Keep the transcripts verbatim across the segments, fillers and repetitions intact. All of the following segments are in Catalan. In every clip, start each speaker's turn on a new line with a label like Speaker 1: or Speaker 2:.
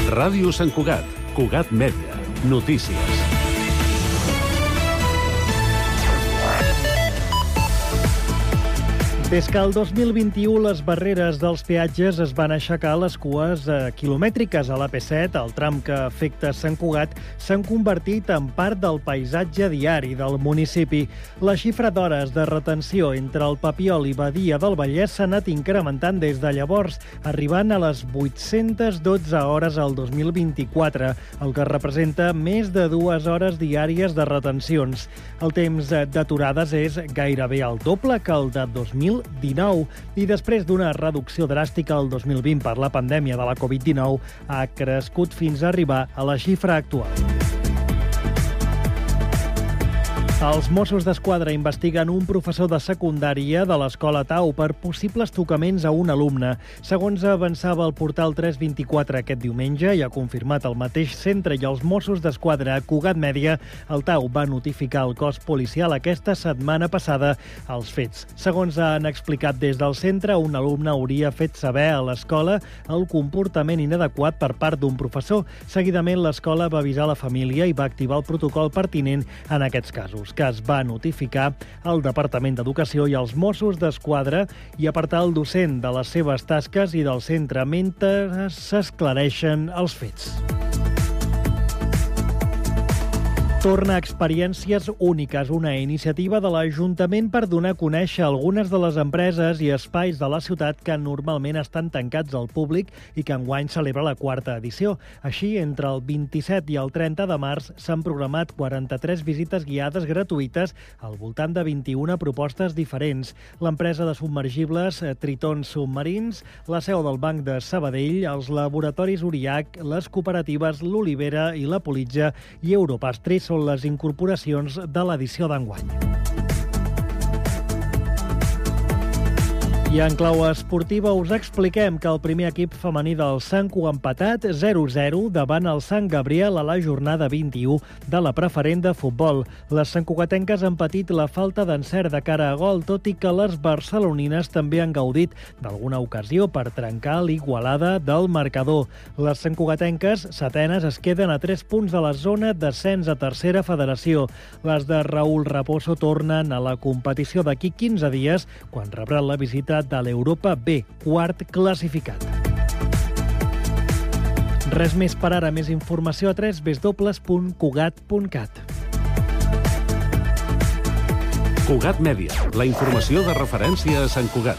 Speaker 1: Ràdio Sant Cugat, Cugat Mèdia, notícies.
Speaker 2: Des que el dos mil vint-i-u les barreres dels peatges es van aixecar, les cues eh, quilomètriques a l'A P set, el tram que afecta Sant Cugat, s'han convertit en part del paisatge diari del municipi. La xifra d'hores de retenció entre el Papiol i Badia del Vallès s'ha anat incrementant des de llavors, arribant a les vuit-centes dotze hores al dos mil vint-i-quatre, el que representa més de dues hores diàries de retencions. El temps d'aturades és gairebé el doble que el de dos mil dinou i després d'una reducció dràstica el dos mil vint per la pandèmia de la covid dinou ha crescut fins a arribar a la xifra actual. Els Mossos d'Esquadra investiguen un professor de secundària de l'Escola Tau per possibles tocaments a un alumne. Segons avançava el portal tres vint-i-quatre aquest diumenge i ha confirmat el mateix centre i els Mossos d'Esquadra a Cugat Mèdia, el Tau va notificar al cos policial aquesta setmana passada els fets. Segons han explicat des del centre, un alumne hauria fet saber a l'escola el comportament inadequat per part d'un professor. Seguidament, l'escola va avisar la família i va activar el protocol pertinent en aquests casos, que es va notificar al Departament d'Educació i als Mossos d'Esquadra i apartar el docent de les seves tasques i del centre mentre s'esclareixen els fets. Torna a Experiències Úniques, una iniciativa de l'Ajuntament per donar a conèixer algunes de les empreses i espais de la ciutat que normalment estan tancats al públic i que enguany celebra la quarta edició. Així, entre el vint-i-set i el trenta de març s'han programat quaranta-tres visites guiades gratuïtes al voltant de vint-i-una propostes diferents. L'empresa de submergibles Tritons Submarins, la seu del Banc de Sabadell, els laboratoris Uriac, les cooperatives L'Olivera i la Politja i Europastri són les incorporacions de l'edició d'enguany. I en clau esportiva us expliquem que el primer equip femení del Sanco ha empatat zero a zero davant el Sant Gabriel a la jornada vint-i-u de la preferent de futbol. Les santcugatenques han patit la falta d'encert de cara a gol, tot i que les barcelonines també han gaudit d'alguna ocasió per trencar l'igualada del marcador. Les santcugatenques, setenes, es queden a tres punts de la zona d'ascens a tercera federació. Les de Raúl Raposo tornen a la competició d'aquí quinze dies, quan rebran la visita de l'Europa B, quart classificat. Res més per ara, més informació a w w w punt cugat punt cat.
Speaker 1: Cugat Mèdia, la informació de referència a Sant Cugat.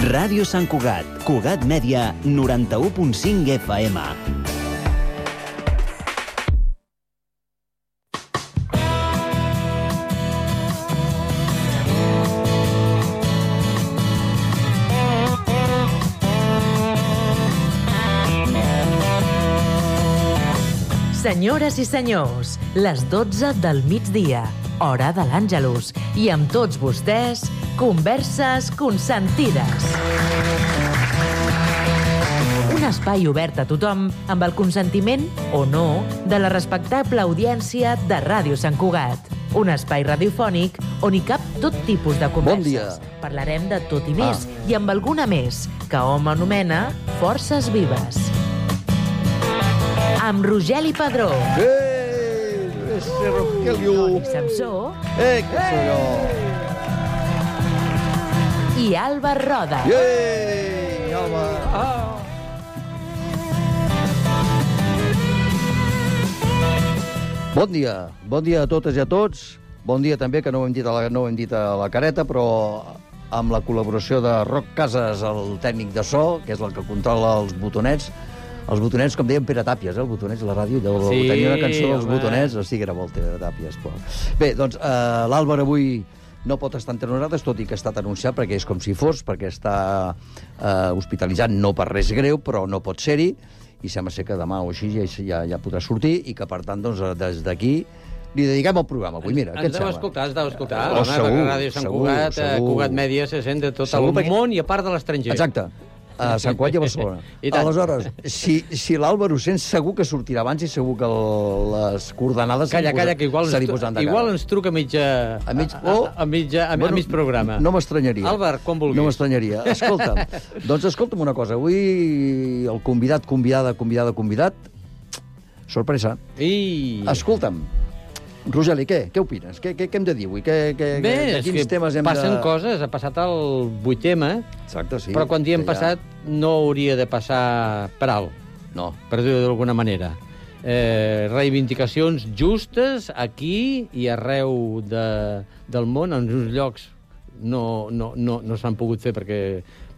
Speaker 3: Ràdio Sant Cugat, Cugat Mèdia, noranta-u punt cinc F M.
Speaker 4: Senyores i senyors, les dotze del migdia, hora de l'Àngelus, i amb tots vostès, Converses Consentides. Un espai obert a tothom amb el consentiment, o no, de la respectable audiència de Ràdio Sant Cugat. Un espai radiofònic on hi cap tot tipus de converses.
Speaker 5: Bon dia.
Speaker 4: Parlarem de tot i més,
Speaker 5: Ah.
Speaker 4: i amb alguna més, que hom anomena Forces Vives. Amb Rogeli Padró.
Speaker 5: Eh, ese Rogelio.
Speaker 4: Toni Samsó.
Speaker 5: Eh, que soy yo.
Speaker 4: I Alba Roda.
Speaker 5: Eh, home. Ah. Bon dia. Bon dia a totes i a tots. Bon dia també, que no ho hem dit a la, no ho hem dit a la careta, però amb la col·laboració de Roc Casas, el tècnic de so, que és el que controla els botonets. Els botonets, com deien Pere Tàpies, eh? Els botonets a la ràdio, deu
Speaker 6: Sí,
Speaker 5: tenir una cançó dels
Speaker 6: home.
Speaker 5: botonets, o sí que era molt Pere Tàpies. Però... Bé, doncs, eh, l'Àlvar avui no pot estar entre nosaltres, tot i que ha estat anunciat, perquè és com si fos, perquè està eh, hospitalitzat, no per res greu, però no pot ser-hi, i sembla ser que demà o així ja, ja, ja podrà sortir, i que, per tant, doncs, des d'aquí li dediquem el programa avui. Mira, què et
Speaker 6: Ens deu
Speaker 5: sembla?
Speaker 6: escoltar, ens deu escoltar.
Speaker 5: Oh,
Speaker 6: Home,
Speaker 5: segur,
Speaker 6: perquè Ràdio Sant
Speaker 5: segur,
Speaker 6: Cugat,
Speaker 5: segur.
Speaker 6: Cugat Mèdia se sent de tot
Speaker 5: Segur,
Speaker 6: el
Speaker 5: perquè-
Speaker 6: món i a part de l'estranger.
Speaker 5: Exacte. A Sant Cugat i a Barcelona.
Speaker 6: I tant.
Speaker 5: Aleshores, si, si l'Àlvaro sent, segur que sortirà abans i segur que el, les coordenades
Speaker 6: Calla, calla, que igual,
Speaker 5: se li
Speaker 6: ens,
Speaker 5: posaran de
Speaker 6: igual
Speaker 5: cara.
Speaker 6: ens truca a mitja...
Speaker 5: A mig-
Speaker 6: a,
Speaker 5: oh!
Speaker 6: a, a, mitja, a,
Speaker 5: Bueno,
Speaker 6: a mig programa.
Speaker 5: No m'estranyaria.
Speaker 6: Àlvar, quan vulguis.
Speaker 5: No m'estranyaria. Escolta'm, doncs escolta'm una cosa. Avui el convidat, convidada, convidada, convidat... Sorpresa.
Speaker 6: I...
Speaker 5: Escolta'm, Rogeli, què? Què opines? Què, què, què hem de dir avui? Què, què,
Speaker 6: Bé,
Speaker 5: de
Speaker 6: és
Speaker 5: quins
Speaker 6: que
Speaker 5: temes hem
Speaker 6: passen
Speaker 5: de...
Speaker 6: coses. Ha passat el vuit tema,
Speaker 5: Exacte, sí.
Speaker 6: però quan diem
Speaker 5: que ja-
Speaker 6: passat no hauria de passar per alt,
Speaker 5: No.
Speaker 6: per dir-ho d'alguna manera. Eh, reivindicacions justes aquí i arreu de, del món, en uns llocs no, no, no, no s'han pogut fer perquè,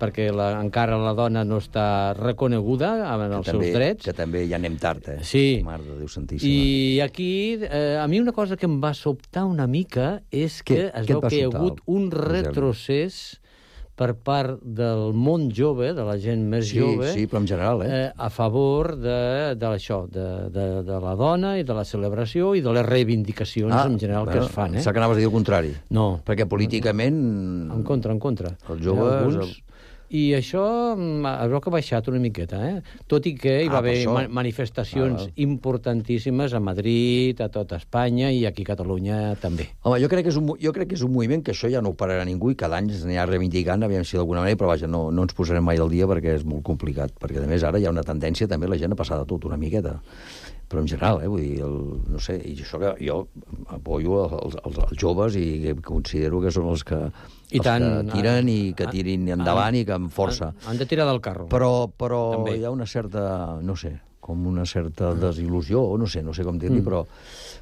Speaker 6: perquè la, encara la dona no està reconeguda en els
Speaker 5: que també,
Speaker 6: seus drets.
Speaker 5: Que també ja anem tard, eh?
Speaker 6: Sí.
Speaker 5: Mare de Déu santíssima.
Speaker 6: I aquí, eh, a mi una cosa que em va sobtar una mica és que
Speaker 5: Què?
Speaker 6: es
Speaker 5: Què et
Speaker 6: veu
Speaker 5: va
Speaker 6: que hi ha
Speaker 5: sobtar,
Speaker 6: hagut un
Speaker 5: Rogeli?
Speaker 6: retrocés per part del món jove, de la gent més
Speaker 5: Sí,
Speaker 6: jove,
Speaker 5: sí, però en general, eh?
Speaker 6: eh, a favor de, de això, de, de, de la dona i de la celebració i de les reivindicacions en general que es fan. Eh?
Speaker 5: Sap que anaves a dir el contrari.
Speaker 6: No,
Speaker 5: Perquè políticament...
Speaker 6: en contra, en contra.
Speaker 5: Els joves-
Speaker 6: Alguns... I això mm, es veu que ha baixat una miqueta, eh? Tot i que hi va
Speaker 5: Ah, per
Speaker 6: haver
Speaker 5: això.
Speaker 6: ma manifestacions
Speaker 5: Ah.
Speaker 6: importantíssimes a Madrid, a tota Espanya i aquí a Catalunya també.
Speaker 5: Home, jo crec, que és un, mo- jo crec que és un moviment que això ja no ho pararà ningú i cada any es anirà reivindicant, aviam si d'alguna manera, però vaja, no, no ens posarem mai al dia perquè és molt complicat, perquè a més ara hi ha una tendència també la gent a passar de tot una miqueta. Però en general, eh, vull dir, el, no sé, i això que jo apoyo els, els, els joves i que considero que són els que,
Speaker 6: I
Speaker 5: els
Speaker 6: tant,
Speaker 5: que tiren i que
Speaker 6: ah,
Speaker 5: tirin endavant i que amb força.
Speaker 6: Han, han de tirar del carro.
Speaker 5: Però, però
Speaker 6: També.
Speaker 5: hi ha una certa, no sé, com una certa desil·lusió, o no sé, no sé com dir-li, mm. però,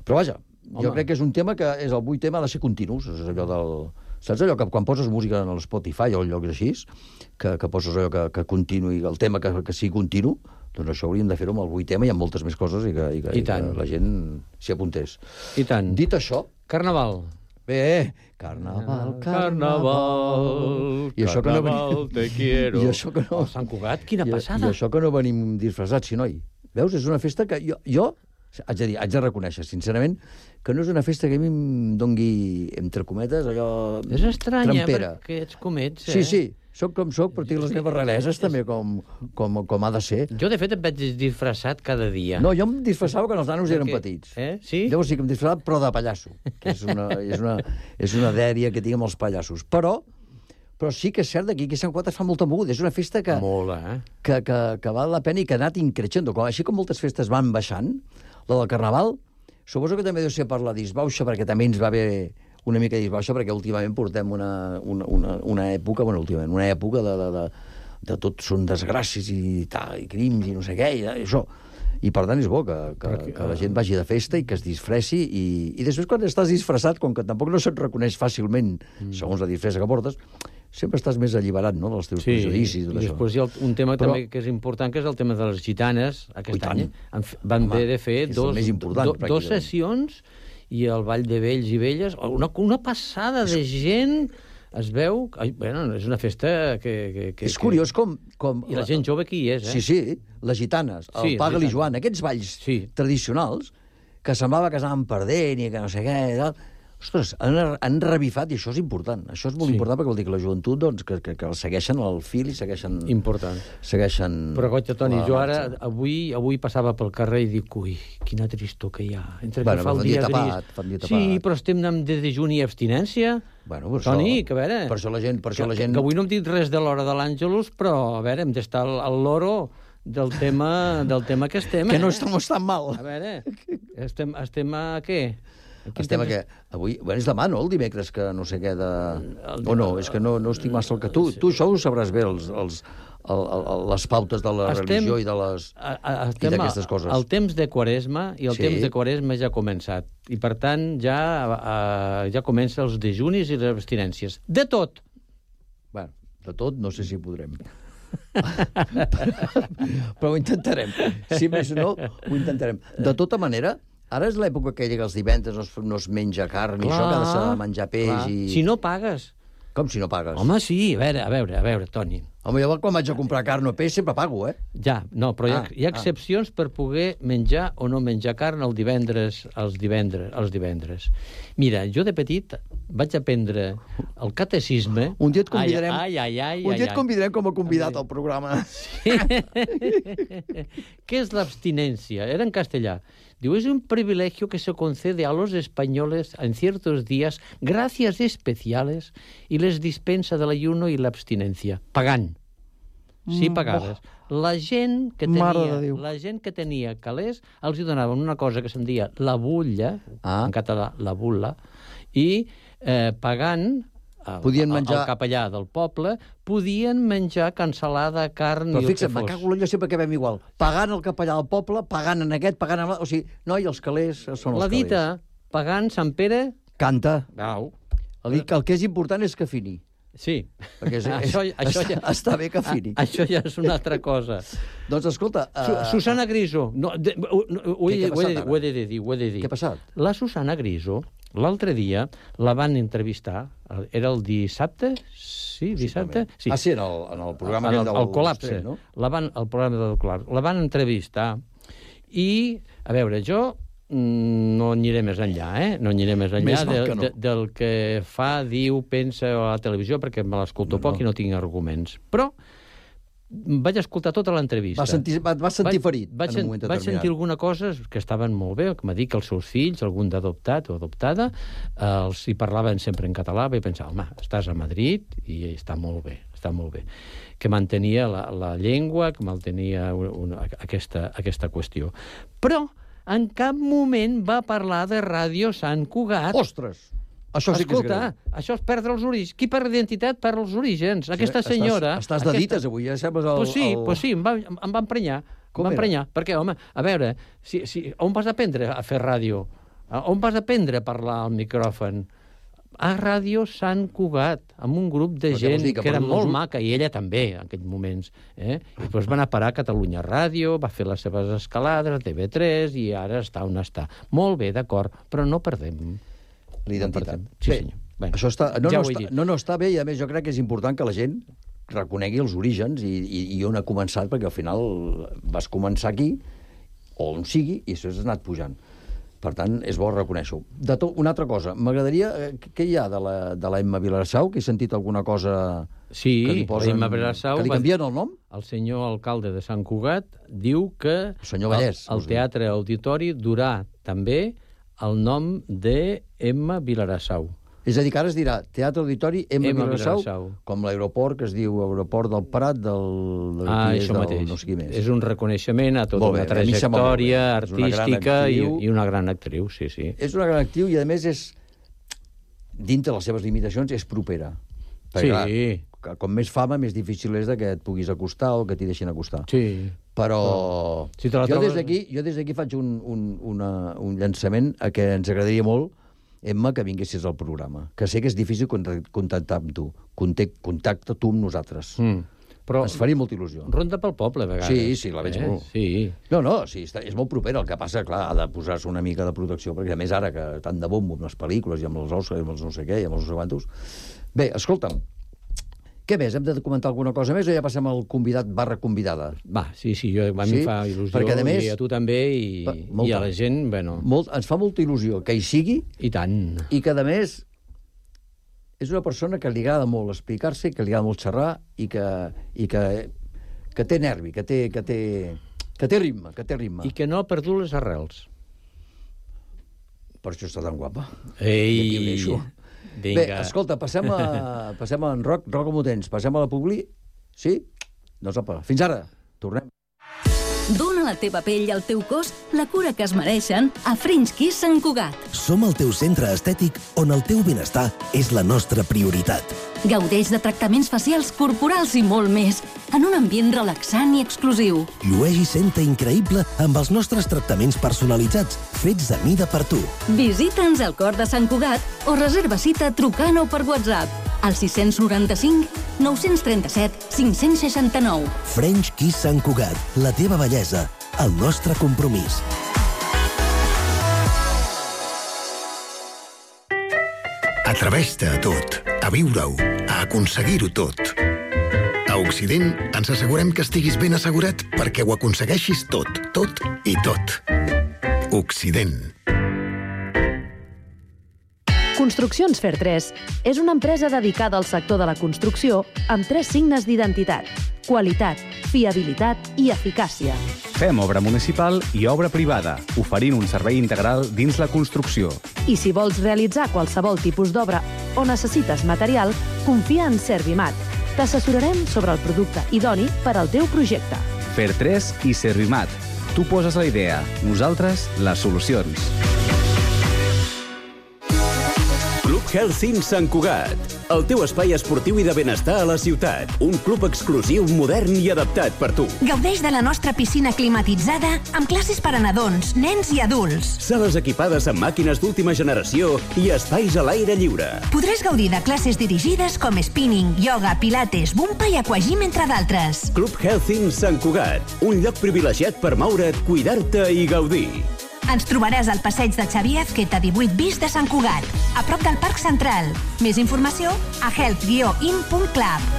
Speaker 5: però vaja, jo
Speaker 6: Home.
Speaker 5: crec que és un tema que és el vuit tema ha de ser continus, és allò del... Saps allò que quan poses música en el Spotify o en llocs així, que, que poses allò que, que continuï, el tema que, que sigui continu, doncs això hauríem de fer-ho amb el vuit tema i amb moltes més coses i que, i que,
Speaker 6: I
Speaker 5: i que
Speaker 6: tant.
Speaker 5: la gent s'hi apuntés.
Speaker 6: I tant.
Speaker 5: Dit això,
Speaker 6: Carnaval.
Speaker 5: bé, carnaval,
Speaker 6: Carnaval,
Speaker 5: I això que no
Speaker 6: carnaval,
Speaker 5: venim-
Speaker 6: te quiero.
Speaker 5: I això que no...
Speaker 6: Oh, Sant Cugat, quina
Speaker 5: I,
Speaker 6: passada.
Speaker 5: I això que no venim disfressats, sí, noi. Veus, és una festa que jo, jo haig de dir, haig de reconèixer, sincerament, que no és una festa que a mi em dongui, entre cometes, allò...
Speaker 6: És estranya,
Speaker 5: trampera.
Speaker 6: perquè ets com ets, eh?
Speaker 5: Sí, sí, soc com soc, però tinc les meves raleses també com, com, com ha de ser.
Speaker 6: Jo, de fet, em vaig disfressat cada dia.
Speaker 5: No, jo em disfressava quan els nanos eren
Speaker 6: Perquè-
Speaker 5: petits.
Speaker 6: Eh? Sí?
Speaker 5: Llavors sí que em disfressava, però de pallasso, que és una, és una, és una dèria que tinc amb els pallassos. Però, però sí que és cert que aquí a Sant Cugat es fa molta moguda. És una festa que,
Speaker 6: Molt, eh?
Speaker 5: que, que, que val la pena i que ha anat increixent. Com, així com moltes festes van baixant, la del Carnaval, suposo que també deu ser per la disbauxa, perquè també ens va haver una mica de disbauxa, perquè últimament portem una, una, una, una època, bueno, últimament, una època de, de, de, de tot són desgràcies i tal, i crims i no sé què, i, i això. I per tant és bo que, que,
Speaker 6: Perquè,
Speaker 5: que la gent vagi de festa i que es disfressi, i, i després quan estàs disfressat, com que tampoc no se't reconeix fàcilment, mm. segons la disfressa que portes, sempre estàs més alliberat, no?, dels teus prejudicis i tot
Speaker 6: i
Speaker 5: això.
Speaker 6: després hi ha un tema
Speaker 5: Però-
Speaker 6: també que és important, que és el tema de les gitanes.
Speaker 5: Oh, i
Speaker 6: Aquest
Speaker 5: tant.
Speaker 6: any han f- van
Speaker 5: Home,
Speaker 6: haver de fer
Speaker 5: és el
Speaker 6: dos,
Speaker 5: més important,
Speaker 6: do, dos
Speaker 5: pràcticament.
Speaker 6: sessions i el Ball de Vells i Velles, una, una passada de gent. Es veu... Ai, bueno, és una festa que... que, que
Speaker 5: És curiós com... com
Speaker 6: I la gent jove que hi és, eh?
Speaker 5: Sí, sí, les gitanes, el
Speaker 6: Sí,
Speaker 5: Pagal
Speaker 6: les
Speaker 5: i Joan, aquests balls
Speaker 6: Sí.
Speaker 5: tradicionals, que semblava que anaven perdent i que no sé què i tal. Ostres, han, han revifat i això és important. Això és molt
Speaker 6: Sí.
Speaker 5: important perquè vol dir que la joventut, doncs, que, que, que el segueixen el fil i segueixen...
Speaker 6: Important.
Speaker 5: segueixen
Speaker 6: Però, goig, Toni,
Speaker 5: la
Speaker 6: jo ara,
Speaker 5: marxa.
Speaker 6: avui, avui passava pel carrer i dic, ui, quina tristor que hi ha. Entre
Speaker 5: Bueno,
Speaker 6: que fa
Speaker 5: fa
Speaker 6: el
Speaker 5: un dia
Speaker 6: dia
Speaker 5: tapat,
Speaker 6: gris...
Speaker 5: fa un dia
Speaker 6: Sí,
Speaker 5: tapat.
Speaker 6: però estem en de dejuni i abstinència.
Speaker 5: Bueno, per
Speaker 6: Toni,
Speaker 5: això,
Speaker 6: que a veure...
Speaker 5: Per això la gent... Per això
Speaker 6: que,
Speaker 5: la gent...
Speaker 6: que avui no hem dit res de l'hora de l'Àngelus, però, a veure, hem d'estar al, al loro del tema, del tema que estem.
Speaker 5: Que no
Speaker 6: eh?
Speaker 5: estem tan mal.
Speaker 6: A veure, estem, estem a què? A quin
Speaker 5: Estem
Speaker 6: temps-
Speaker 5: que avui... Bueno, és demà, no?, el dimecres, que no sé què de... O no, és que no, no estic massa al que... Tu, tu això ho sabràs bé, els, els, el, el, les pautes de la
Speaker 6: Estem-
Speaker 5: religió i de les...
Speaker 6: A, a,
Speaker 5: I
Speaker 6: estem
Speaker 5: d'aquestes coses.
Speaker 6: al temps de Quaresma i el
Speaker 5: Sí.
Speaker 6: temps de Quaresma ja ha començat. I, per tant, ja, a, ja comença els dejunis i les abstinències. De tot!
Speaker 5: Bueno, de tot no sé si podrem. Però ho intentarem. Si més no, ho intentarem. De tota manera, ara és l'època aquella que els divendres no es, no es menja carn i això, que ha de ser menjar peix
Speaker 6: clar.
Speaker 5: i...
Speaker 6: Si no pagues...
Speaker 5: Com si no pagues?
Speaker 6: Home, sí, a veure, a veure, a veure, Toni.
Speaker 5: Home, jo quan vaig a comprar carn o peix sempre pago, eh?
Speaker 6: Ja, no, però hi ha,
Speaker 5: Ah,
Speaker 6: hi ha excepcions per poder menjar o no menjar carn el divendres, els divendres, els divendres. Mira, jo de petit vaig aprendre el catecisme...
Speaker 5: Un dia et convidarem,
Speaker 6: Ai, ai, ai, ai,
Speaker 5: un dia et
Speaker 6: ai.
Speaker 5: convidarem com a convidat al programa.
Speaker 6: ¿Qué es la abstinencia? Era en castellà. Diu, es un privilegio que se concede a los españoles en ciertos días gracias especiales y les dispensa del ayuno y la abstinencia. Pagant. Sí, pagades. La gent que
Speaker 5: Mare
Speaker 6: tenia,
Speaker 5: de Déu.
Speaker 6: la gent que tenia calés els hi donaven una cosa que se'n deia la bulla,
Speaker 5: Ah.
Speaker 6: en català, la bulla, i eh, pagant el,
Speaker 5: Podien menjar-
Speaker 6: el capellà del poble, podien menjar cansalada, carn
Speaker 5: Però
Speaker 6: i el que
Speaker 5: fixa't, me
Speaker 6: fos.
Speaker 5: cago en l'ull, jo sempre que vam igual. Pagant el capellà del poble, pagant en aquest, pagant en l'altre. O sigui, no, i els calés són els
Speaker 6: La
Speaker 5: calés.
Speaker 6: dita, pagant Sant Pere...
Speaker 5: Canta.
Speaker 6: Au.
Speaker 5: El, el que és important és que fini.
Speaker 6: Sí.
Speaker 5: Perquè és,
Speaker 6: això,
Speaker 5: és,
Speaker 6: això
Speaker 5: està,
Speaker 6: ja,
Speaker 5: està bé que fini.
Speaker 6: a, això ja és una altra cosa.
Speaker 5: Doncs escolta...
Speaker 6: Su,
Speaker 5: Uh,
Speaker 6: Susana Griso. No, de, ho, no, ho,
Speaker 5: Què- què
Speaker 6: he,
Speaker 5: ha
Speaker 6: ho, he,
Speaker 5: passat ara?
Speaker 6: ho he de dir, ho he de dir.
Speaker 5: Què ha passat?
Speaker 6: La Susana Griso, l'altre dia, la van entrevistar, era el dissabte? Sí, dissabte? Sí.
Speaker 5: Ah, sí, en el, en el programa
Speaker 6: el,
Speaker 5: aquell del
Speaker 6: el col·lapse.
Speaker 5: Estrell, no?
Speaker 6: La van, el programa del col·lapse. La van entrevistar i, a veure, jo mm, no aniré més enllà, eh? No aniré més enllà
Speaker 5: Més val
Speaker 6: de,
Speaker 5: que no.
Speaker 6: de, del que fa, diu, pensa a la televisió, perquè me l'escolto
Speaker 5: No,
Speaker 6: poc
Speaker 5: no.
Speaker 6: i no tinc arguments. Però vaig escoltar tota l'entrevista.
Speaker 5: Va sentir, va, va sentir ferit
Speaker 6: vaig,
Speaker 5: en un moment
Speaker 6: vaig
Speaker 5: determinat.
Speaker 6: sentir alguna cosa que estaven molt bé, que m'ha dit que els seus fills, algun d'adoptat o adoptada, eh, els hi parlaven sempre en català, vaig pensar, home, estàs a Madrid i està molt bé, està molt bé. Que mantenia la, la llengua, que mantenia una, una, aquesta, aquesta qüestió. Però en cap moment va parlar de Ràdio Sant Cugat.
Speaker 5: Ostres! Això sí que és
Speaker 6: Escolta,
Speaker 5: greu.
Speaker 6: això és perdre els orígens. Qui perd identitat perd els orígens. Aquesta senyora...
Speaker 5: Estàs, estàs de
Speaker 6: aquesta...
Speaker 5: dites avui, ja sembles el...
Speaker 6: Pues sí,
Speaker 5: el...
Speaker 6: pues sí, em va, em va emprenyar.
Speaker 5: Com
Speaker 6: em va
Speaker 5: era?
Speaker 6: emprenyar. Perquè, home, a veure, si, si, on vas aprendre a fer ràdio? On vas aprendre a parlar al micròfon? A Ràdio Sant Cugat, amb un grup de
Speaker 5: Però què vols
Speaker 6: gent
Speaker 5: dir, que
Speaker 6: que era
Speaker 5: perdut
Speaker 6: molt
Speaker 5: els-
Speaker 6: maca, i ella també, en aquells moments. Eh? I després va anar a parar a Catalunya Ràdio, va fer les seves escalades a T V tres, i ara està on està. Molt bé, d'acord, però no perdem.
Speaker 5: L'identitat.
Speaker 6: No perdem. Sí,
Speaker 5: Bé,
Speaker 6: senyor. Bueno,
Speaker 5: això està, no,
Speaker 6: ja
Speaker 5: no,
Speaker 6: ho he
Speaker 5: està,
Speaker 6: dit.
Speaker 5: no, no, està bé, i a més jo crec que és important que la gent reconegui els orígens i, i, i on ha començat, perquè al final vas començar aquí, o on sigui, i això has anat pujant. Per tant, és bo reconèixer-ho. De tot, una altra cosa, m'agradaria... eh, Què hi ha de la, de la Emma Vilarassau? Que he sentit alguna cosa...
Speaker 6: Sí,
Speaker 5: que li posen,
Speaker 6: la Emma Vilarassau
Speaker 5: que li
Speaker 6: va-
Speaker 5: canvien el nom?
Speaker 6: El senyor alcalde de Sant Cugat diu que
Speaker 5: El senyor Vallès,
Speaker 6: el, el
Speaker 5: vols dir.
Speaker 6: Teatre Auditori durà també el nom de Emma Vilarassau.
Speaker 5: És a dir, que ara es dirà Teatre Auditori Emma,
Speaker 6: Emma
Speaker 5: Vilarassau,
Speaker 6: Vilarassau.
Speaker 5: com l'aeroport que es diu Aeroport del Prat, del, del,
Speaker 6: Ah,
Speaker 5: qui és,
Speaker 6: això
Speaker 5: del
Speaker 6: mateix.
Speaker 5: no sé qui més.
Speaker 6: És un reconeixement a tota
Speaker 5: Molt bé,
Speaker 6: una
Speaker 5: a mi em sembla molt bé.
Speaker 6: trajectòria
Speaker 5: És una gran
Speaker 6: artística i,
Speaker 5: actriu.
Speaker 6: i una gran actriu, sí, sí.
Speaker 5: És una gran actriu i, a més, és, dintre les seves limitacions, és propera.
Speaker 6: Sí.
Speaker 5: clar, que com més fama, més difícil és de que et puguis acostar o que t'hi deixin acostar.
Speaker 6: Sí.
Speaker 5: Però
Speaker 6: Si te la
Speaker 5: jo
Speaker 6: trobes-
Speaker 5: des d'aquí jo des d'aquí faig un, un, una, un llançament a què ens agradaria molt, Emma, que vinguessis al programa. Que sé que és difícil contact- contactar amb tu. Contact, contacta tu amb nosaltres.
Speaker 6: Mm. Però
Speaker 5: Ens faria molta il·lusió.
Speaker 6: ronda pel poble, a vegades.
Speaker 5: Sí, sí, la veig
Speaker 6: eh?
Speaker 5: molt.
Speaker 6: Sí.
Speaker 5: No, no, sí, està, és molt propera. El que passa, clar, ha de posar-se una mica de protecció, perquè a més ara que tant de bombo amb les pel·lícules i amb els Oscars i amb els no sé què i amb els no sé quantos... Bé, escolta'm, què més? Hem de comentar alguna cosa més o ja passem al convidat barra convidada?
Speaker 6: Va, sí, sí, jo, a mi
Speaker 5: Sí?
Speaker 6: em fa il·lusió,
Speaker 5: Perquè, a més,
Speaker 6: i a tu també, i,
Speaker 5: va,
Speaker 6: i
Speaker 5: molta.
Speaker 6: a la gent, bueno,
Speaker 5: Molt, ens fa molta il·lusió que hi sigui
Speaker 6: i tant.
Speaker 5: i que, a més, és una persona que li agrada molt explicar-se, que li agrada molt xerrar i que, i que, que té nervi, que té, que té, que té ritme, que té ritme.
Speaker 6: I que no ha perdut les arrels.
Speaker 5: Per això està tan guapa.
Speaker 6: Ei,
Speaker 5: I aquí ho deixo.
Speaker 6: vinga.
Speaker 5: Bé, escolta, passem a, passem a en Roc, Roc Amotens, passem a la Publi, sí? Doncs apa, fins ara, tornem.
Speaker 7: Dóna a la teva pell i al teu cos la cura que es mereixen a French Kiss Sant Cugat.
Speaker 8: Som el teu centre estètic on el teu benestar és la nostra prioritat.
Speaker 7: Gaudeix de tractaments facials, corporals i molt més, en un ambient relaxant i exclusiu.
Speaker 8: Llueix i senta increïble amb els nostres tractaments personalitzats, fets a mida per tu.
Speaker 7: Visita'ns al cor de Sant Cugat o reserva cita trucant o per WhatsApp al sis nou cinc, nou tres set, cinc sis nou.
Speaker 8: French Kiss Sant Cugat, la teva bellesa, el nostre compromís.
Speaker 9: Atreveix-te a tot, a viure-ho, a aconseguir-ho tot. A Occident ens assegurem que estiguis ben assegurat perquè ho aconsegueixis tot, tot i tot. Occident.
Speaker 10: Construccions Fer tres és una empresa dedicada al sector de la construcció amb tres signes d'identitat: qualitat, fiabilitat i eficàcia.
Speaker 11: Fem obra municipal i obra privada, oferint un servei integral dins la construcció.
Speaker 10: I si vols realitzar qualsevol tipus d'obra o necessites material, confia en Servimat. T'assessorarem sobre el producte idoni per al teu projecte.
Speaker 11: Fer tres i Servimat. Tu poses la idea, nosaltres les solucions.
Speaker 12: Club Health Sant Cugat, el teu espai esportiu i de benestar a la ciutat. Un club exclusiu, modern i adaptat per tu.
Speaker 13: Gaudeix de la nostra piscina climatitzada amb classes per a nadons, nens i adults.
Speaker 12: Sales equipades amb màquines d'última generació i espais a l'aire lliure.
Speaker 13: Podràs gaudir de classes dirigides com spinning, ioga, pilates, bumpa i aquagym, entre d'altres.
Speaker 12: Club Health Sant Cugat, un lloc privilegiat per moure't, cuidar-te i gaudir.
Speaker 13: Ens trobaràs al passeig de Xavier Azqueta divuit bis de Sant Cugat, a prop del Parc Central. Més informació a health guió in punt club.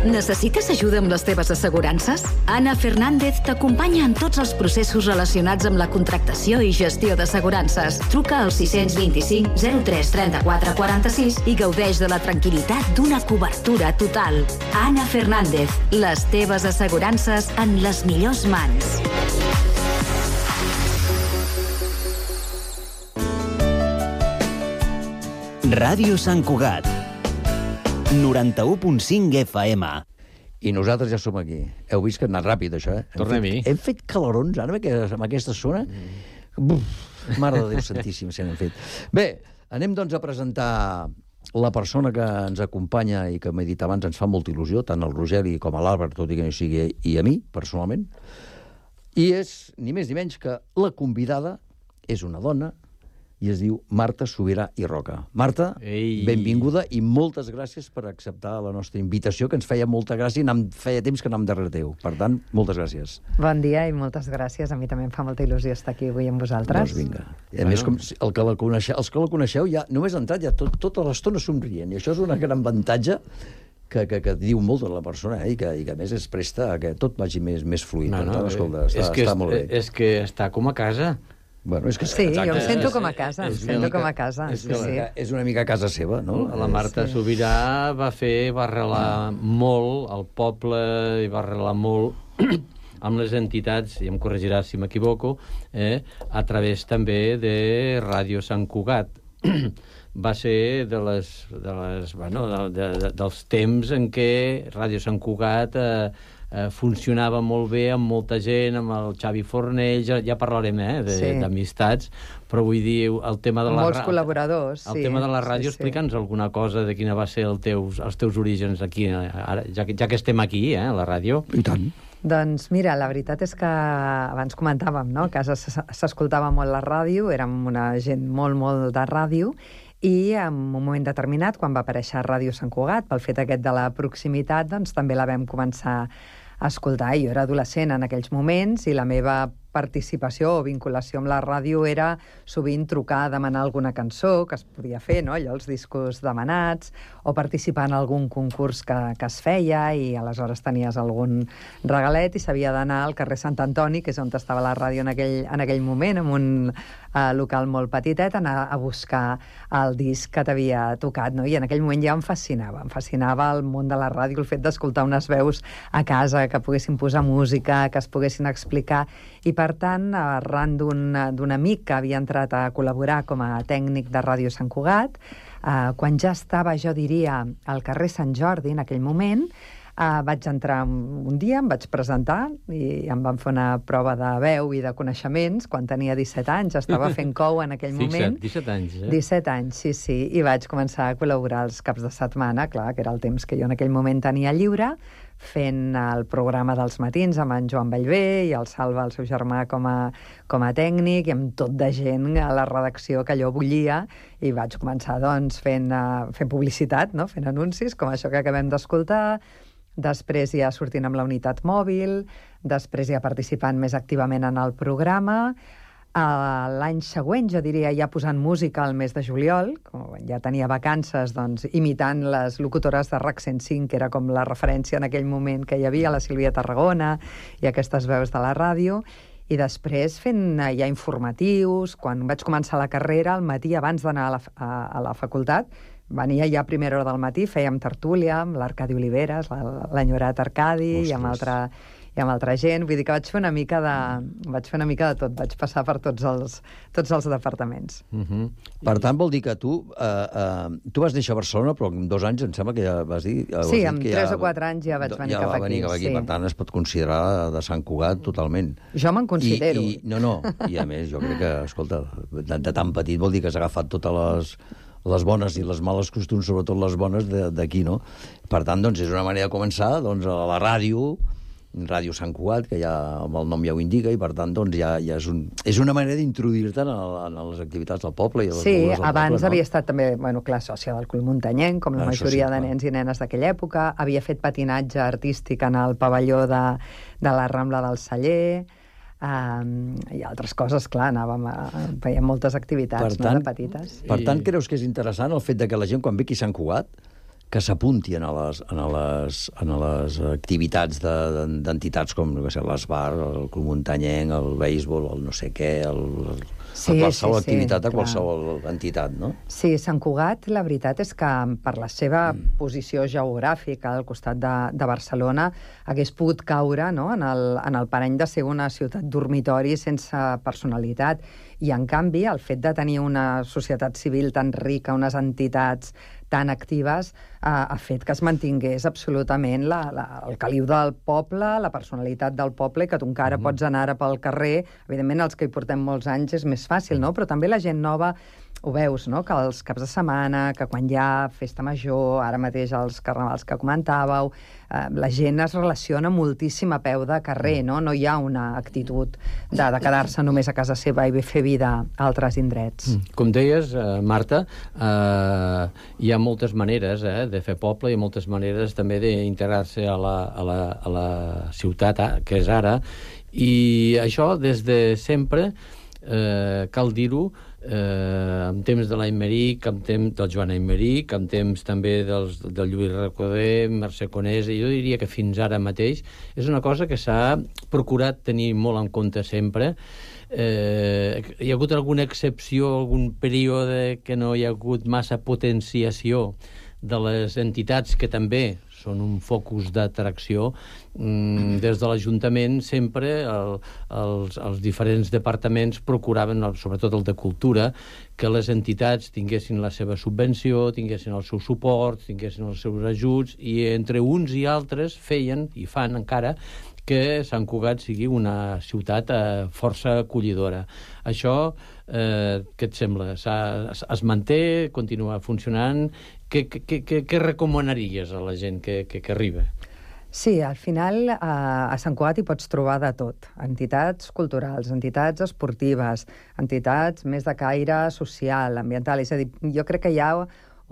Speaker 7: Necessites ajuda amb les teves assegurances? Anna Fernández t'acompanya en tots els processos relacionats amb la contractació i gestió d'assegurances. Truca al sis dos cinc zero tres tres quatre quatre sis i gaudeix de la tranquil·litat d'una cobertura total. Anna Fernández, les teves assegurances en les millors mans.
Speaker 3: Ràdio Sant Cugat, noranta-u punt cinc F M.
Speaker 5: I nosaltres ja som aquí. Heu vist que ha anat ràpid, això, eh?
Speaker 6: Tornem-hi.
Speaker 5: Hem fet calorons, ara, amb aquesta zona. Buf, mare de Déu santíssim, se n'han fet. Bé, anem, doncs, a presentar la persona que ens acompanya i que m'he dit abans ens fa molta il·lusió, tant al Rogeri com a l'Àlvar, tot i que no sigui, i a mi, personalment. I és, ni més ni menys, que la convidada és una dona i es diu Marta Subirà i Roca. Marta,
Speaker 6: Ei.
Speaker 5: benvinguda i moltes gràcies per acceptar la nostra invitació, que ens feia molta gràcia i anam, feia temps que anàvem darrere teu. Per tant, moltes gràcies.
Speaker 14: Bon dia i moltes gràcies. A mi també em fa molta il·lusió estar aquí avui amb vosaltres.
Speaker 5: Doncs vinga. I a bueno. més, com el que la coneixeu, els que la coneixeu, ja només ha entrat ja tot, tota l'estona somrient. I això és una gran avantatge que, que, que diu molt de la persona, eh? I, que, i que a més es presta a que tot vagi més, més fluid.
Speaker 6: No, no,
Speaker 5: tant, escolta, està,
Speaker 6: és que
Speaker 5: està molt bé.
Speaker 6: És que està com a casa.
Speaker 5: Bueno, és que
Speaker 14: sí,
Speaker 5: exacte,
Speaker 14: jo em sento com a casa, em sento com a casa.
Speaker 5: És,
Speaker 14: sí, sí.
Speaker 5: és una mica casa seva, no?
Speaker 6: La Marta
Speaker 14: sí.
Speaker 6: Subirà va fer, va arrelar molt al poble i va arrelar molt amb les entitats, i em corregiràs si m'equivoco, eh, a través també de Ràdio Sant Cugat. Va ser de les, de les, bueno, de, de, de, dels temps en què Ràdio Sant Cugat eh, eh, funcionava molt bé amb molta gent, amb el Xavi Fornell, ja, ja parlarem eh, d'amistats, sí. Però vull dir, el tema de la...
Speaker 14: Molts col·laboradors,
Speaker 6: el
Speaker 14: sí.
Speaker 6: tema de la ràdio,
Speaker 14: sí,
Speaker 6: explica'ns sí. alguna cosa de quina va ser el teus, els teus orígens aquí, ara, ja, que, ja que estem aquí, eh, a la ràdio.
Speaker 5: I tant.
Speaker 14: Doncs mira, la veritat és que abans comentàvem, no?, que a casa s'escoltava molt la ràdio, érem una gent molt, molt de ràdio, i en un moment determinat, quan va aparèixer Ràdio Sant Cugat, pel fet aquest de la proximitat, doncs també la vam començar a escoltar. Jo era adolescent en aquells moments i la meva participació o vinculació amb la ràdio era sovint trucar a demanar alguna cançó que es podia fer, no?, allò, els discos demanats, o participar en algun concurs que, que es feia i aleshores tenies algun regalet i s'havia d'anar al carrer Sant Antoni, que és on estava la ràdio en aquell, en aquell moment, en un uh, local molt petitet, anar a buscar el disc que t'havia tocat, no? I en aquell moment ja em fascinava, em fascinava el món de la ràdio, el fet d'escoltar unes veus a casa, que poguessin posar música, que es poguessin explicar, i per tant, arran d'un amic que havia entrat a col·laborar com a tècnic de Ràdio Sant Cugat, eh, quan ja estava, jo diria, al carrer Sant Jordi, en aquell moment, eh, vaig entrar un dia, em vaig presentar i em van fer una prova de veu i de coneixements quan tenia disset anys, estava fent cou en aquell moment.
Speaker 6: Fixa't, disset anys, eh?
Speaker 14: disset anys, sí, sí, i vaig començar a col·laborar els caps de setmana, clar, que era el temps que jo en aquell moment tenia lliure, fent el programa dels matins amb en Joan Bellver i el Salva, el seu germà, com a, com a tècnic, i amb tot de gent a la redacció que allò bullia, i vaig començar, doncs, fent, uh, fent publicitat, no?, fent anuncis, com això que acabem d'escoltar, després ja sortint amb la unitat mòbil, després ja participant més activament en el programa, L'any següent, jo diria, ja posant música al mes de juliol, com ja tenia vacances, doncs, imitant les locutores de RAC cent cinc, que era com la referència en aquell moment que hi havia, la Sílvia Tarragona i aquestes veus de la ràdio, i després fent ja informatius. Quan vaig començar la carrera, al matí, abans d'anar a, la, a, a la facultat, venia ja a primera hora del matí, fèiem tertúlia amb l'Arcadi Oliveres, l'enyorat Arcadi, i amb altra... i amb altra gent, vull dir que vaig fer una mica de, vaig fer una mica de tot, vaig passar per tots els, tots els departaments.
Speaker 5: Uh-huh. Per tant, vol dir que tu, uh, uh, tu vas néixer a Barcelona, però en dos anys em sembla que ja vas dir...
Speaker 14: Sí, en tres o quatre anys ja vaig venir
Speaker 5: ja
Speaker 14: cap
Speaker 5: va venir
Speaker 14: aquí.
Speaker 5: Cap aquí.
Speaker 14: Sí.
Speaker 5: Per tant, es pot considerar de Sant Cugat totalment.
Speaker 14: Jo me'n considero.
Speaker 5: I, i, no, no, i a més, jo crec que, escolta, de, de tan petit vol dir que has agafat totes les... les bones i les males costums, sobretot les bones d'aquí, no? Per tant, doncs, és una manera de començar doncs, a la ràdio, Ràdio Sant Cugat, que ja amb el nom ja ho indica, i per tant, doncs, ja, ja és, un, és una manera d'introduir-te en, en les activitats del poble. I a les
Speaker 14: sí,
Speaker 5: del
Speaker 14: abans
Speaker 5: poble, no?
Speaker 14: havia estat també, bueno, clar, sòcia del Club Muntanyenc, com la
Speaker 5: ah,
Speaker 14: majoria
Speaker 5: sí,
Speaker 14: de nens i nenes d'aquella època. Havia fet patinatge artístic en el pavelló de, de la Rambla del Celler, Um, i altres coses, clar, anàvem a... Fèiem moltes activitats,
Speaker 5: tant,
Speaker 14: no?, de petites.
Speaker 5: Per tant, creus que és interessant el fet de que la gent, quan ve aquí a Sant Cugat, que s'apunti a les, a les, a les activitats d'entitats de, com no sé, l'Esbar, el Club Muntanyenc, el béisbol, el no sé què, el,
Speaker 14: sí,
Speaker 5: qualsevol
Speaker 14: sí,
Speaker 5: activitat
Speaker 14: sí,
Speaker 5: a qualsevol entitat, no?
Speaker 14: Sí, Sant Cugat, la veritat és que per la seva mm. posició geogràfica al costat de, de Barcelona hagués pogut caure, no?, en el, en el parany de ser una ciutat dormitori sense personalitat. I, en canvi, el fet de tenir una societat civil tan rica, unes entitats tan actives, eh, ha fet que es mantingués absolutament la, la, el caliu del poble, la personalitat del poble, que tu encara mm-hmm. pots anar pel carrer. Evidentment, els que hi portem molts anys és més fàcil, no? Però també la gent nova ho veus, no?, que els caps de setmana, que quan hi ha festa major, ara mateix els carnavals que comentàveu, eh, la gent es relaciona moltíssim a peu de carrer, no? No hi ha una actitud de, de quedar-se només a casa seva i fer vida a altres indrets.
Speaker 6: Com deies, eh, Marta, eh, hi ha moltes maneres eh, de fer poble i moltes maneres també d'integrar-se a, la, a, la, a la ciutat, eh, que és ara, i això des de sempre, eh, cal dir-ho, eh, en temps de l'Aimeric, en temps del Joan Aimeric, en temps també dels, del Lluís Recoder, Mercè Conesa, i jo diria que fins ara mateix és una cosa que s'ha procurat tenir molt en compte sempre. Eh, hi ha hagut alguna excepció, algun període que no hi ha hagut massa potenciació de les entitats que també són un focus d'atracció. Mm, des de l'Ajuntament sempre el, els, els diferents departaments procuraven, sobretot el de Cultura, que les entitats tinguessin la seva subvenció, tinguessin el seu suport, tinguessin els seus ajuts, i entre uns i altres feien, i fan encara, que Sant Cugat sigui una ciutat eh, força acollidora. Això, eh, què et sembla? Es, es manté, continua funcionant? Què, què, què, què recomanaries a la gent que, que, que arriba?
Speaker 14: Sí, al final a, a Sant Cugat hi pots trobar de tot. Entitats culturals, entitats esportives, entitats més de caire social, ambiental. És a dir, jo crec que hi ha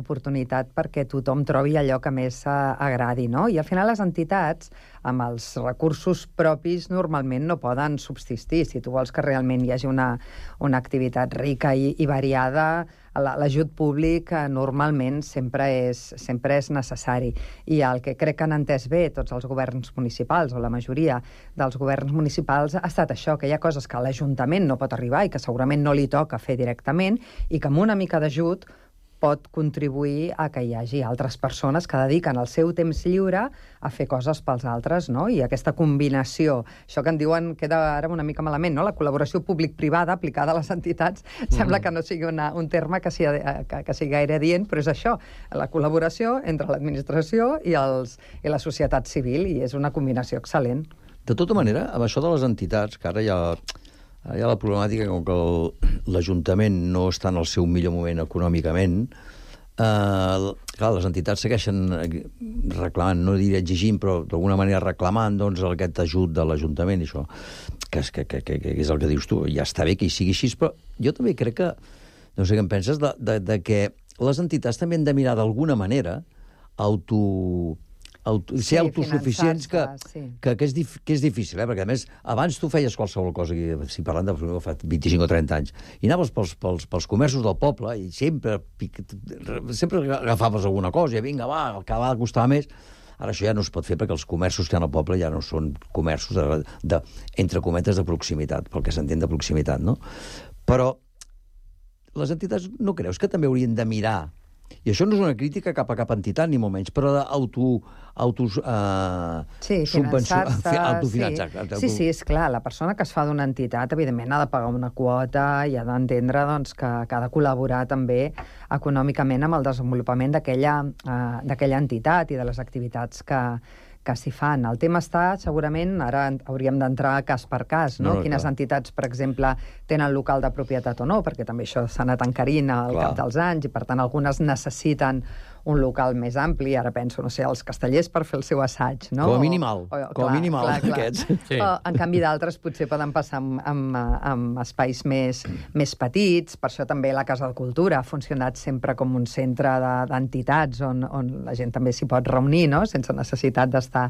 Speaker 14: oportunitat perquè tothom trobi allò que més agradi, no? I al final les entitats, amb els recursos propis, normalment no poden subsistir. Si tu vols que realment hi hagi una, una activitat rica i, i variada, l'ajut públic normalment sempre és, sempre és necessari. I el que crec que han entès bé tots els governs municipals, o la majoria dels governs municipals, ha estat això, que hi ha coses que l'Ajuntament no pot arribar i que segurament no li toca fer directament, i que amb una mica d'ajut pot contribuir a que hi hagi altres persones que dediquen el seu temps lliure a fer coses pels altres, no? I aquesta combinació, això que en diuen, queda ara una mica malament, no?, la col·laboració públic-privada aplicada a les entitats, mm. sembla que no sigui una, un terme que sigui, que, que sigui gaire dient, però és això, la col·laboració entre l'administració i, els, i la societat civil, i és una combinació excel·lent.
Speaker 5: De tota manera, amb això de les entitats, que ara ja... Hi ha la problemàtica com que l'Ajuntament no està en el seu millor moment econòmicament. Eh, clar, les entitats segueixen reclamant, no diré exigint, però d'alguna manera reclamant doncs, aquest ajut de l'Ajuntament, això, que és, que, que, que, que és el que dius tu. Ja està bé que hi sigui així, però jo també crec que, no sé què en penses, de, de, de que les entitats també han de mirar d'alguna manera auto... auto,
Speaker 14: Sí,
Speaker 5: ser autosuficients, que,
Speaker 14: finançar-se, sí.
Speaker 5: que, que, és dif, que és difícil, eh? Perquè, a més, abans tu feies qualsevol cosa, si parlant de fa vint-i-cinc o trenta anys, i anaves pels, pels, pels comerços del poble i sempre, sempre agafaves alguna cosa, i vinga, va, el que va costar més. Ara això ja no es pot fer perquè els comerços que hi ha al poble ja no són comerços, de, de, entre cometes, de proximitat, pel que s'entén de proximitat, no? Però les entitats no creus que també haurien de mirar, i això no és una crítica cap a cap entitat, ni molt menys, però d'auto... Auto, uh,
Speaker 14: sí, finançar-se...
Speaker 5: autofinançar.
Speaker 14: Sí. sí, sí, és clar, la persona que es fa d'una entitat, evidentment, ha de pagar una quota i ha d'entendre doncs, que, que ha de col·laborar també econòmicament amb el desenvolupament d'aquella uh, d'aquella entitat i de les activitats que, que s'hi fan. El tema està, segurament, ara hauríem d'entrar cas per cas, no? no, no Quines clar. entitats, per exemple, tenen local de propietat o no, perquè també això s'ha anat encarint al clar. cap dels anys, i per tant algunes necessiten un local més ampli. Ara penso, no sé, els castellers per fer el seu assaig, no?
Speaker 5: Com a mínimal,
Speaker 14: o, o,
Speaker 5: com a mínimal,
Speaker 14: clar, clar.
Speaker 5: aquests.
Speaker 14: Sí. O, en canvi, d'altres potser poden passar amb, amb, amb espais més, més petits. Per això també la Casa de Cultura ha funcionat sempre com un centre d'entitats de, on, on la gent també s'hi pot reunir, no? Sense necessitat d'estar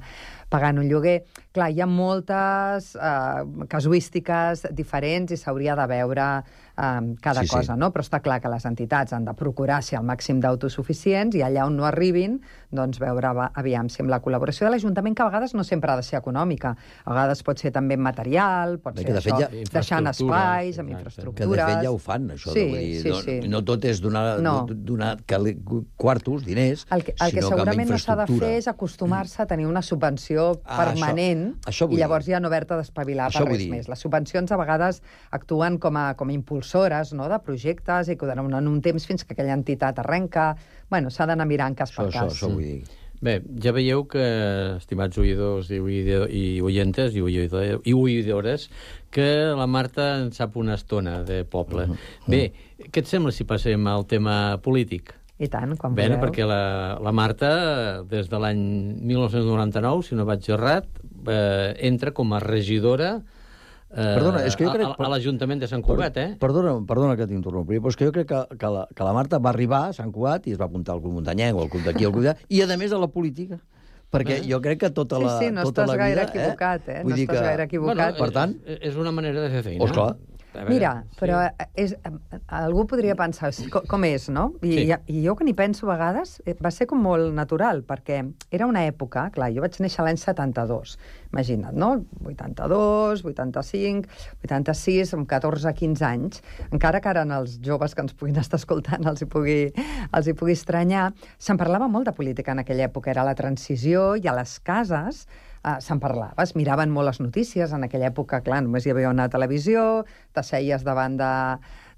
Speaker 14: pagant un lloguer. Clar, hi ha moltes eh, casuístiques diferents i s'hauria de veure eh, cada sí, cosa, sí. no? Però està clar que les entitats han de procurar ser al màxim d'autosuficients i allà on no arribin, doncs veure, aviam, si amb la col·laboració de l'Ajuntament, que a vegades no sempre ha de ser econòmica, a vegades pot ser també material, pot
Speaker 5: Bé,
Speaker 14: ser això, ja... deixant espais, amb
Speaker 5: exacte.
Speaker 14: infraestructures...
Speaker 5: Que de fet ja ho fan, això.
Speaker 14: Sí,
Speaker 5: de, vull dir,
Speaker 14: sí,
Speaker 5: no,
Speaker 14: sí.
Speaker 5: no tot és donar, no. donar quartos, diners,
Speaker 14: el que, el que
Speaker 5: sinó
Speaker 14: segurament
Speaker 5: que
Speaker 14: no s'ha de fer és acostumar-se a tenir una subvenció
Speaker 5: ah,
Speaker 14: permanent
Speaker 5: això, això
Speaker 14: i llavors ja no haver-te d'espavilar per res més. Les subvencions a vegades actuen com a, com a impulsores, no?, de projectes i que donen un temps fins que aquella entitat arrenca. Bueno, s'ha d'anar mirant cas per
Speaker 5: això,
Speaker 14: cas.
Speaker 5: Això, això vull dir.
Speaker 6: Bé, ja veieu que, estimats oïdors i, oïdor, i oientes i, oïdor, i oïdores, que la Marta en sap una estona de poble. Uh -huh. Bé, què et sembla si passem al tema polític?
Speaker 14: I tant, quan
Speaker 6: Bé,
Speaker 14: voleu.
Speaker 6: perquè la, la Marta, des de l'any mil nou-cents noranta-nou, si no vaig errat, eh, entra com a regidora eh,
Speaker 5: Perdona, és que jo crec...
Speaker 6: a, a l'Ajuntament de Sant Cugat, eh?
Speaker 5: Perdona, perdona que t'interrompi, però és que jo crec que, que, la, que la Marta va arribar a Sant Cugat i es va apuntar al Club Muntanyenc o al Club d'aquí, al Club d'allà, i a més a la política. Perquè eh? jo crec que tota la,
Speaker 14: sí, sí, no
Speaker 5: tota
Speaker 14: estàs
Speaker 5: la vida...
Speaker 14: gaire equivocat, eh?
Speaker 5: Vull
Speaker 14: no
Speaker 5: dir
Speaker 14: estàs
Speaker 5: que...
Speaker 14: gaire equivocat.
Speaker 6: Bueno,
Speaker 5: per tant...
Speaker 6: És, és una manera de fer feina.
Speaker 5: Oh, esclar.
Speaker 14: Mira, però és, algú podria pensar com, com és, no? I, sí. i, i jo que n'hi penso a vegades, va ser com molt natural, perquè era una època, clar, jo vaig néixer l'any setanta-dos, imagina't, no? vuitanta-dos, vuitanta-cinc, vuitanta-sis, amb catorze quinze anys, encara que ara els joves que ens puguin estar escoltant els hi pugui, els hi pugui estranyar, se'n parlava molt de política en aquella època, era la transició, i a les cases Uh, se'n parlava, es miraven molt les notícies. En aquella època, clar, només hi havia una televisió, t'asseies davant de,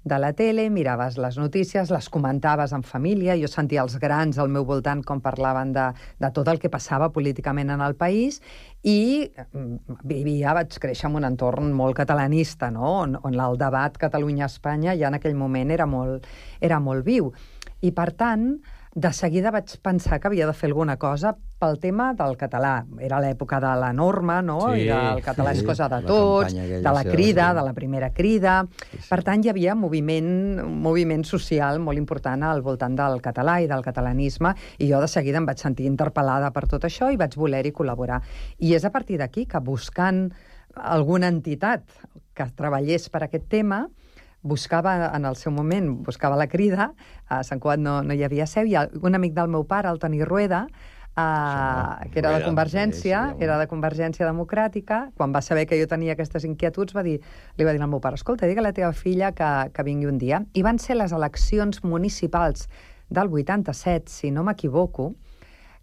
Speaker 14: de la tele, miraves les notícies, les comentaves en família. Jo sentia els grans al meu voltant com parlaven de, de tot el que passava políticament en el país, i vivia, vaig créixer en un entorn molt catalanista, no? on, on el debat Catalunya-Espanya ja en aquell moment era molt, era molt viu. I, per tant, de seguida vaig pensar que havia de fer alguna cosa pel tema del català. Era l'època de la norma, no?
Speaker 6: Sí,
Speaker 14: I el català
Speaker 6: sí,
Speaker 14: és cosa de tots,
Speaker 5: aquella,
Speaker 14: de la
Speaker 5: sí,
Speaker 14: crida,
Speaker 5: sí.
Speaker 14: de la primera crida.
Speaker 5: Sí, sí.
Speaker 14: Per tant, hi havia moviment, un moviment social molt important al voltant del català i del catalanisme, i jo de seguida em vaig sentir interpel·lada per tot això i vaig voler-hi col·laborar. I és a partir d'aquí que, buscant alguna entitat que treballés per aquest tema, buscava, en el seu moment, buscava la crida, a Sant Cugat no, no hi havia seu, i un amic del meu pare, el Toni Rueda, Uh, que era de Convergència, sí, sí, era de Convergència Democràtica, quan va saber que jo tenia aquestes inquietuds, va dir, li va dir al meu pare, escolta, digue a la teva filla que, que vingui un dia. I van ser les eleccions municipals del vuitanta-set, si no m'equivoco,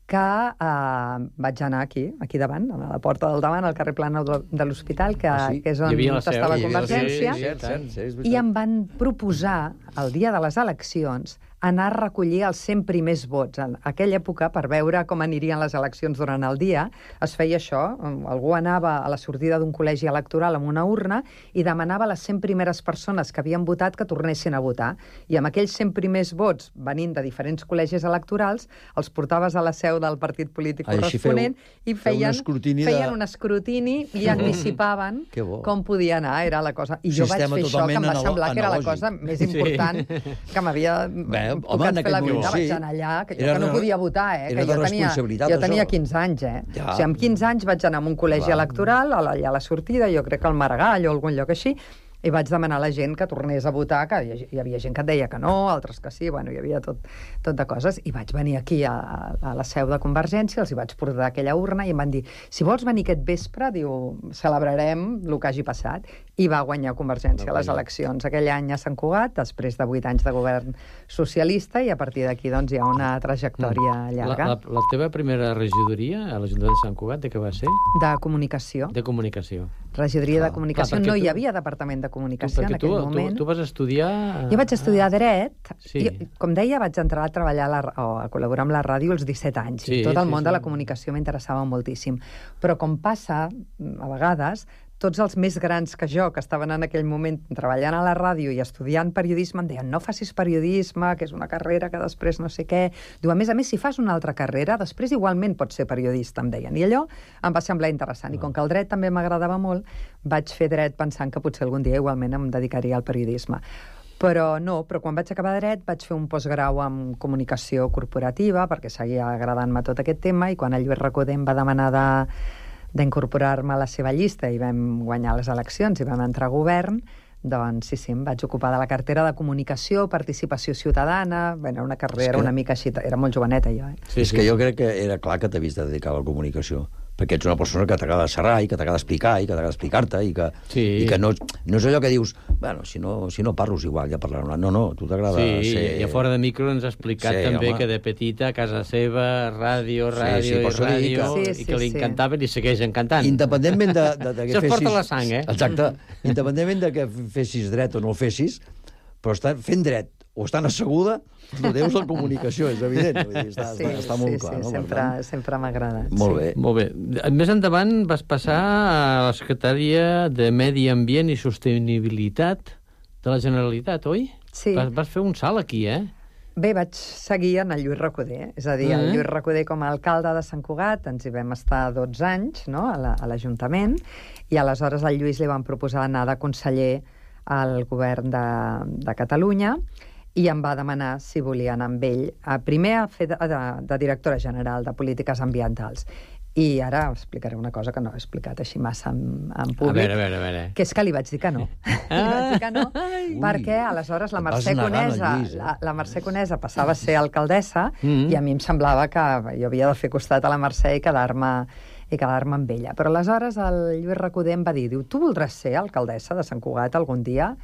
Speaker 14: que uh, vaig anar aquí, aquí davant, a la porta del davant, al carrer Plana de l'Hospital, que,
Speaker 5: ah, sí?
Speaker 14: que és on estava Convergència,
Speaker 5: sí, sí, sí, sí,
Speaker 14: i em van proposar, el dia de les eleccions, anar a recollir els cent primers vots. En aquella època, per veure com anirien les eleccions durant el dia, es feia això. Algú anava a la sortida d'un col·legi electoral amb una urna i demanava a les cent primeres persones que havien votat que tornessin a votar. I amb aquells cent primers vots, venint de diferents col·legis electorals, els portaves a la seu del partit polític
Speaker 5: ah,
Speaker 14: corresponent
Speaker 5: feu,
Speaker 14: i feien,
Speaker 5: feu un
Speaker 14: feien
Speaker 5: de...
Speaker 14: un escrutini i anticipaven com podia anar. Era la cosa. I jo vaig fer això, que em va semblar que era la cosa més important sí. que m'havia...
Speaker 5: Home,
Speaker 14: tocat
Speaker 5: en
Speaker 14: fer la
Speaker 5: aquell
Speaker 14: vida,
Speaker 5: moment,
Speaker 14: vaig
Speaker 5: sí.
Speaker 14: anar allà, que jo
Speaker 5: Era
Speaker 14: que no
Speaker 5: de-
Speaker 14: podia votar, eh?
Speaker 5: era
Speaker 14: que
Speaker 5: de
Speaker 14: jo tenia,
Speaker 5: responsabilitat,
Speaker 14: jo tenia
Speaker 5: això.
Speaker 14: quinze anys, eh?
Speaker 5: Ja.
Speaker 14: O sigui, amb quinze anys vaig anar a un col·legi
Speaker 5: Clar.
Speaker 14: electoral, allà a la sortida, jo crec que al Maragall o algun lloc així, i vaig demanar a la gent que tornés a votar, que hi hi havia gent que et deia que no, altres que sí, bueno, hi havia tot, tot de coses, i vaig venir aquí a, a la seu de Convergència, els hi vaig portar aquella urna i em van dir, si vols venir aquest vespre, diu, celebrarem el que hagi passat, i va guanyar Convergència a les eleccions aquell any a Sant Cugat, després de vuit anys de govern socialista, i a partir d'aquí doncs, hi ha una trajectòria llarga.
Speaker 6: La, la, la teva primera regidoria a l'Ajuntament de Sant Cugat, de què va ser?
Speaker 14: De comunicació.
Speaker 6: De comunicació.
Speaker 14: Regidoria de comunicació.
Speaker 6: Clar,
Speaker 14: no hi
Speaker 6: tu-
Speaker 14: havia departament de comunicació
Speaker 6: Perquè
Speaker 14: en aquell
Speaker 6: tu,
Speaker 14: moment.
Speaker 6: Tu, tu vas estudiar...
Speaker 14: Jo vaig estudiar Dret.
Speaker 6: Sí.
Speaker 14: Jo, com deia, vaig entrar a treballar a, la, o a col·laborar amb la ràdio als disset anys.
Speaker 6: Sí,
Speaker 14: I tot el
Speaker 6: sí,
Speaker 14: món
Speaker 6: sí.
Speaker 14: de la comunicació m'interessava moltíssim. Però com passa, a vegades, tots els més grans que jo, que estaven en aquell moment treballant a la ràdio i estudiant periodisme, em deien, no facis periodisme, que és una carrera que després no sé què. Diu, a més a més, si fas una altra carrera, després igualment pots ser periodista, em deien. I allò em va semblar interessant. I com que el dret també m'agradava molt, vaig fer dret pensant que potser algun dia igualment em dedicaria al periodisme. Però no, però quan vaig acabar dret vaig fer un postgrau en comunicació corporativa perquè seguia agradant-me tot aquest tema i quan el Lluís Recoder em va demanar de d'incorporar-me a la seva llista i vam guanyar les eleccions i vam entrar a govern, doncs sí, sí, em vaig ocupar de la cartera de comunicació, participació ciutadana, bé, era una carrera
Speaker 5: que...
Speaker 14: una mica així, era molt joveneta jo. Eh?
Speaker 5: Sí, és sí. que jo crec que era clar que t'havies de dedicar a la comunicació, perquè ets una persona que t'agrada xerrar i que t'agrada explicar i que t'agrada explicar-te i que,
Speaker 6: sí.
Speaker 5: i que no, no és allò que dius, bueno, si no, si no parlo és igual, ja parlarem. No, no, tu t'agrada
Speaker 6: sí,
Speaker 5: ser...
Speaker 6: i a fora de micro ens ha explicat
Speaker 5: Sí,
Speaker 6: també
Speaker 5: home.
Speaker 6: que de petita a casa seva, ràdio, ràdio
Speaker 5: Sí, sí,
Speaker 6: i
Speaker 5: per això dic
Speaker 6: ràdio,
Speaker 5: que-
Speaker 6: i
Speaker 14: Sí,
Speaker 6: que
Speaker 14: sí,
Speaker 6: li
Speaker 14: sí.
Speaker 6: encantaven i segueix encantant.
Speaker 5: Independentment de, de, de que
Speaker 6: Això es
Speaker 5: fessis...
Speaker 6: porta la sang, eh?
Speaker 5: Exacte. Independentment de que fessis dret o no el fessis, però estar fent dret o estant asseguda, no deus la comunicació, és evident. Vull dir, està,
Speaker 14: Sí,
Speaker 5: està, està molt
Speaker 14: sí,
Speaker 5: clar.
Speaker 14: sí,
Speaker 5: no? Per
Speaker 14: sempre,
Speaker 5: tant,
Speaker 14: sempre m'ha agradat.
Speaker 5: Molt
Speaker 14: sí.
Speaker 5: bé.
Speaker 6: Molt bé. Més endavant vas passar a la Secretaria de Medi Ambient i Sostenibilitat de la Generalitat, oi?
Speaker 14: Sí.
Speaker 6: Vas, vas fer un salt aquí, eh?
Speaker 14: Bé, vaig seguir en el Lluís Recoder, és a dir, el
Speaker 6: Mm.
Speaker 14: Lluís Recoder com a alcalde de Sant Cugat, ens hi vam estar dotze anys, no?, a la- a l'Ajuntament, i aleshores al Lluís li van proposar anar de conseller al govern de, de Catalunya, i em va demanar si volia anar amb ell, a, primer a fer de, de, de directora general de polítiques ambientals. I ara explicaré una cosa que no he explicat així massa en, en públic.
Speaker 6: A veure, a veure, a veure.
Speaker 14: Que és que li vaig dir que no. li vaig dir que no, perquè aleshores la
Speaker 5: et vas
Speaker 14: Mercè
Speaker 5: negant,
Speaker 14: Conesa,
Speaker 5: Lluís, eh?
Speaker 14: la, la Mercè Conesa passava a ser alcaldessa
Speaker 6: Mm.
Speaker 14: i a mi em semblava que jo havia de fer costat a la Mercè i quedar-me i quedar-me amb ella. Però aleshores el Lluís Recoder em va dir, diu, tu voldràs ser alcaldessa de Sant Cugat algun dia?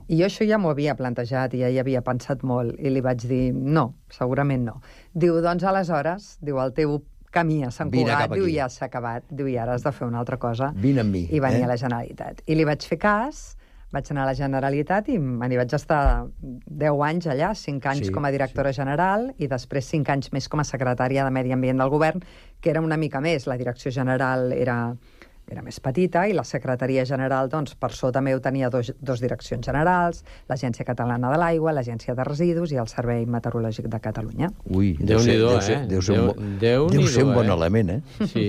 Speaker 14: I jo això ja m'ho havia plantejat i ja hi havia pensat molt i li vaig dir, no, segurament no. Diu, doncs aleshores, diu, el teu camí a Sant
Speaker 5: Vine
Speaker 14: Cugat,
Speaker 5: cap
Speaker 14: diu,
Speaker 5: aquí.
Speaker 14: ja s'ha acabat, diu, i ara has de fer una altra cosa.
Speaker 5: Vine amb mi.
Speaker 14: I venir
Speaker 5: eh?
Speaker 14: a la Generalitat. I li vaig fer cas, vaig anar a la Generalitat i me n'hi vaig estar deu anys allà, cinc anys
Speaker 5: Sí,
Speaker 14: sí, com a directora sí. general i després cinc anys més com a secretària de Medi Ambient del govern, que era una mica més. La direcció general era, era més petita i la secretaria general, doncs, per sota meu tenia dos, dos direccions generals, l'Agència Catalana de l'Aigua, l'Agència de Residus i el Servei Meteorològic de Catalunya.
Speaker 5: Ui, deu ser,
Speaker 6: Déu-n'hi-do,
Speaker 5: deu ser,
Speaker 6: eh?
Speaker 5: deu ser, un, bo-
Speaker 6: Déu-
Speaker 5: deu ser un bon
Speaker 6: Déu-n'hi-do, eh?
Speaker 5: element, eh?
Speaker 6: Sí.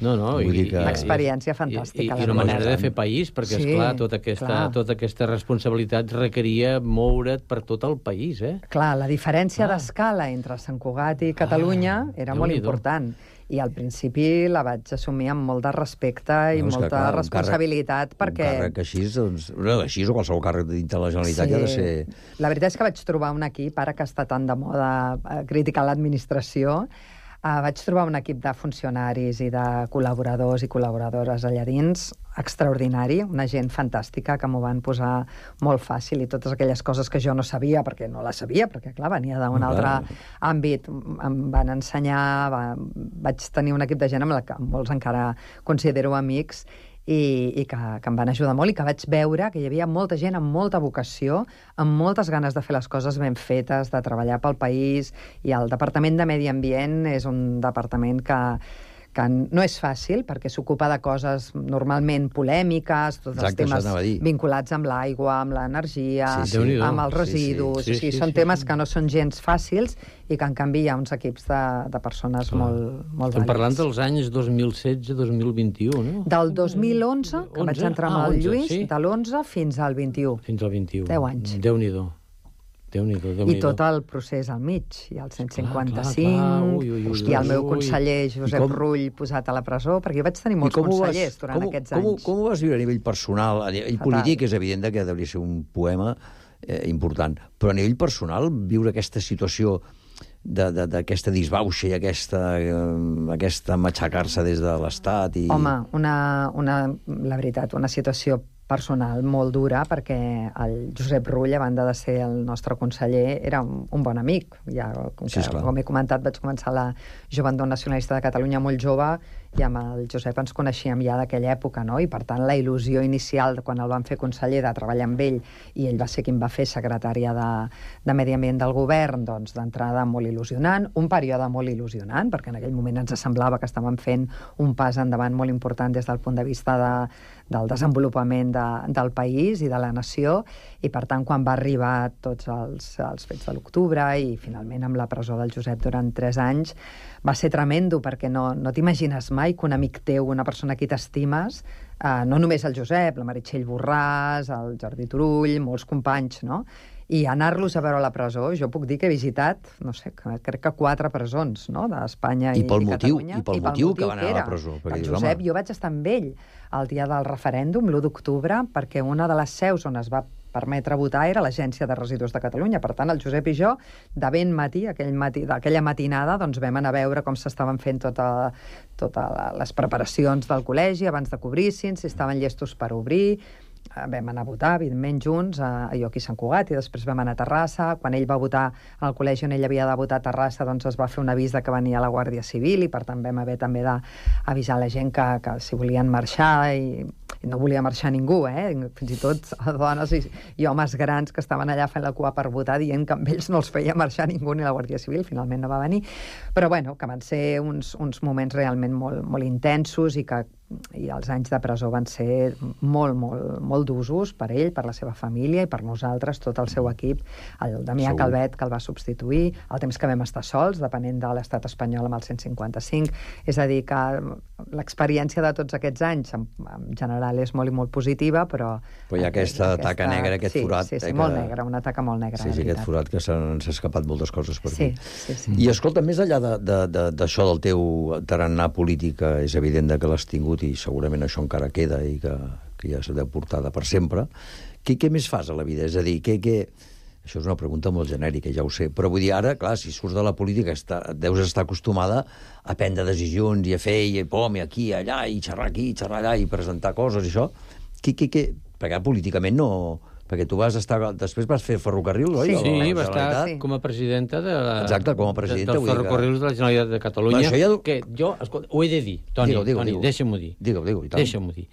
Speaker 6: No, no,
Speaker 5: Vull dir que-
Speaker 14: Una experiència fantàstica,
Speaker 6: I, i,
Speaker 14: la
Speaker 6: i una
Speaker 14: veritat.
Speaker 6: manera de fer país, perquè,
Speaker 14: Sí,
Speaker 6: esclar, tota aquesta,
Speaker 14: clar.
Speaker 6: tota aquesta responsabilitat requeria moure't per tot el país, eh?
Speaker 14: Clar, la diferència d'escala entre Sant Cugat i Catalunya
Speaker 6: Ah,
Speaker 14: era molt
Speaker 6: Déu-n'hi-do.
Speaker 14: important. I al principi la vaig assumir amb molt de respecte i
Speaker 5: No, és que,
Speaker 14: molta
Speaker 5: clar, un
Speaker 14: responsabilitat, perquè...
Speaker 5: Un càrrec així, doncs, no, així o qualsevol càrrec dintre de la Generalitat
Speaker 14: Sí.
Speaker 5: ja ha de ser...
Speaker 14: La veritat és que vaig trobar un equip, ara que està tan de moda eh, criticar l'administració, eh, vaig trobar un equip de funcionaris i de col·laboradors i col·laboradores allà dins extraordinari, una gent fantàstica que m'ho van posar molt fàcil i totes aquelles coses que jo no sabia, perquè no les sabia, perquè clar, venia d'un
Speaker 5: Clar.
Speaker 14: altre àmbit, em van ensenyar, va, vaig tenir un equip de gent amb la que molts encara considero amics, i, i que, que em van ajudar molt i que vaig veure que hi havia molta gent amb molta vocació, amb moltes ganes de fer les coses ben fetes, de treballar pel país, i el Departament de Medi Ambient és un departament que que no és fàcil, perquè s'ocupa de coses normalment polèmiques, tots
Speaker 5: Exacte,
Speaker 14: els temes
Speaker 5: això anava a dir.
Speaker 14: vinculats amb l'aigua, amb l'energia,
Speaker 5: Sí, sí.
Speaker 6: Déu-n'hi-do.
Speaker 14: amb els
Speaker 5: Sí, sí.
Speaker 14: residus,
Speaker 6: Sí,
Speaker 14: o sigui,
Speaker 6: sí,
Speaker 14: són
Speaker 6: sí,
Speaker 14: temes
Speaker 6: sí.
Speaker 14: que no són gens fàcils i que en canvi hi ha uns equips de, de persones
Speaker 6: Clar.
Speaker 14: molt, molt
Speaker 6: Estem parlant
Speaker 14: vàlids.
Speaker 6: dels anys dos mil setze dos mil vint u, no?
Speaker 14: Del dos mil onze, que vaig
Speaker 6: onze?
Speaker 14: entrar amb
Speaker 6: Ah,
Speaker 14: el
Speaker 6: onze,
Speaker 14: Lluís,
Speaker 6: sí.
Speaker 14: de l'onze fins al vint-i-u.
Speaker 6: Fins al vint u.
Speaker 14: Deu anys.
Speaker 6: Déu-n'hi-do. Déu-n'hi-do,
Speaker 14: I
Speaker 6: Déu-n'hi-do.
Speaker 14: tot el procés al mig. Hi ha el cent cinquanta-cinc,
Speaker 6: clar, clar. Ui, ui, ui,
Speaker 14: i el meu
Speaker 6: ui.
Speaker 14: conseller Josep
Speaker 5: com-
Speaker 14: Rull posat a la presó, perquè jo vaig tenir molts consellers durant
Speaker 5: com,
Speaker 14: aquests
Speaker 5: com,
Speaker 14: anys.
Speaker 5: Com ho vas viure a nivell personal? A nivell
Speaker 14: Fatal.
Speaker 5: polític és evident que hauria ser un poema eh, important, però a nivell personal, viure aquesta situació d'aquesta disbauxa i aquesta, eh, aquesta matxacar-se des de l'Estat i...
Speaker 14: Home, una, una, la veritat, una situació personal molt dura, perquè el Josep Rull, a banda de ser el nostre conseller, era un, un bon amic. Ja, com,
Speaker 5: Sí,
Speaker 14: que,
Speaker 5: esclar.
Speaker 14: com he comentat, vaig començar la Joventut Nacionalista de Catalunya molt jove, i amb el Josep ens coneixíem ja d'aquella època, no? I per tant la il·lusió inicial de quan el van fer conseller, de treballar amb ell, i ell va ser qui em va fer secretària de, de Medi Ambient del govern, doncs d'entrada molt il·lusionant, un període molt il·lusionant, perquè en aquell moment ens semblava que estàvem fent un pas endavant molt important des del punt de vista de, del desenvolupament de, del país i de la nació, i per tant quan va arribar tots els, els fets de l'octubre i finalment amb la presó del Josep durant tres anys, va ser tremendo, perquè no, no t'imagines mai que un amic teu, una persona a qui t'estimes, eh, no només el Josep, la Meritxell Borràs, el Jordi Turull, molts companys, no?, i anar-los a veure a la presó, jo puc dir que he visitat, no sé, crec que quatre presons, no?, d'Espanya i,
Speaker 5: I pel
Speaker 14: i
Speaker 5: motiu-
Speaker 14: Catalunya.
Speaker 5: i pel motiu que van anar a la
Speaker 14: era.
Speaker 5: presó, perquè
Speaker 14: El
Speaker 5: dius,
Speaker 14: Josep,
Speaker 5: home.
Speaker 14: jo vaig estar amb ell el dia del referèndum, l'u d'octubre, perquè una de les seus on es va permetre votar era l'Agència de Residus de Catalunya. Per tant, el Josep i jo, de ben matí, aquell matí d'aquella matinada, doncs vam anar a veure com s'estaven fent totes tota les preparacions del col·legi abans de que obrissin, si estaven llestos per obrir. Vam anar a votar, evidentment, junts, a Lloc i Sant Cugat, i després vam anar a Terrassa. Quan ell va votar al col·legi on ell havia de votar a Terrassa, doncs es va fer un avís de que venia la Guàrdia Civil, i per tant vam haver també d'avisar la gent que, que si volien marxar, i, i no volia marxar ningú, eh? Fins i tot dones i, i homes grans que estaven allà fent la cua per votar, dient que amb ells no els feia marxar ningú ni la Guàrdia Civil. Finalment no va venir. Però bueno, que van ser uns, uns moments realment molt, molt intensos, i que i els anys de presó van ser molt, molt, molt d'usos per ell, per la seva família i per nosaltres, tot el seu equip, el Damià
Speaker 5: Segur.
Speaker 14: Calvet, que el va substituir, el temps que vam estar sols, depenent de l'estat espanyol amb el cent cinquanta-cinc. És a dir, que l'experiència de tots aquests anys, en, en general, és molt i molt positiva, però...
Speaker 5: Però hi ha aquesta taca negra, aquest
Speaker 14: sí,
Speaker 5: forat.
Speaker 14: Sí, sí,
Speaker 5: eh,
Speaker 14: molt
Speaker 5: que-
Speaker 14: negra, una taca molt negra,
Speaker 5: Sí,
Speaker 14: la
Speaker 5: sí, aquest
Speaker 14: veritat.
Speaker 5: forat que s'han s'ha escapat moltes coses per
Speaker 14: Sí,
Speaker 5: aquí.
Speaker 14: sí, sí.
Speaker 5: I escolta, més enllà de- de- de- d'això del teu tarannà polític, que és evident que l'has tingut i segurament això encara queda i que, que ja s'ha de portar de per sempre, què, què més fas a la vida? És a dir, què, què... Això és una pregunta molt genèrica, ja ho sé, però vull dir, ara, clar, si surts de la política està, deus estar acostumada a prendre decisions i a fer, i pom, i aquí, i allà, i xerrar aquí, i xerrar allà, i presentar coses, i això. Què, què, què? Perquè políticament no... Perquè tu vas estar... Després vas fer ferrocarrils, oi?
Speaker 6: Sí,
Speaker 5: A la
Speaker 6: sí, va estar
Speaker 5: Generalitat?
Speaker 6: com a presidenta de la,
Speaker 5: Exacte, com a presidenta,
Speaker 6: de, dels
Speaker 5: vull dir que-
Speaker 6: ferrocarrils de la Generalitat de Catalunya,
Speaker 5: Bueno, això ja-
Speaker 6: que jo, escolta, ho he de dir, Toni,
Speaker 5: Digue-ho, digue-ho,
Speaker 6: Toni,
Speaker 5: digue-ho.
Speaker 6: deixa'm-ho dir.
Speaker 5: Digue-ho, digue-ho, i tant.
Speaker 6: Deixa'm-ho dir.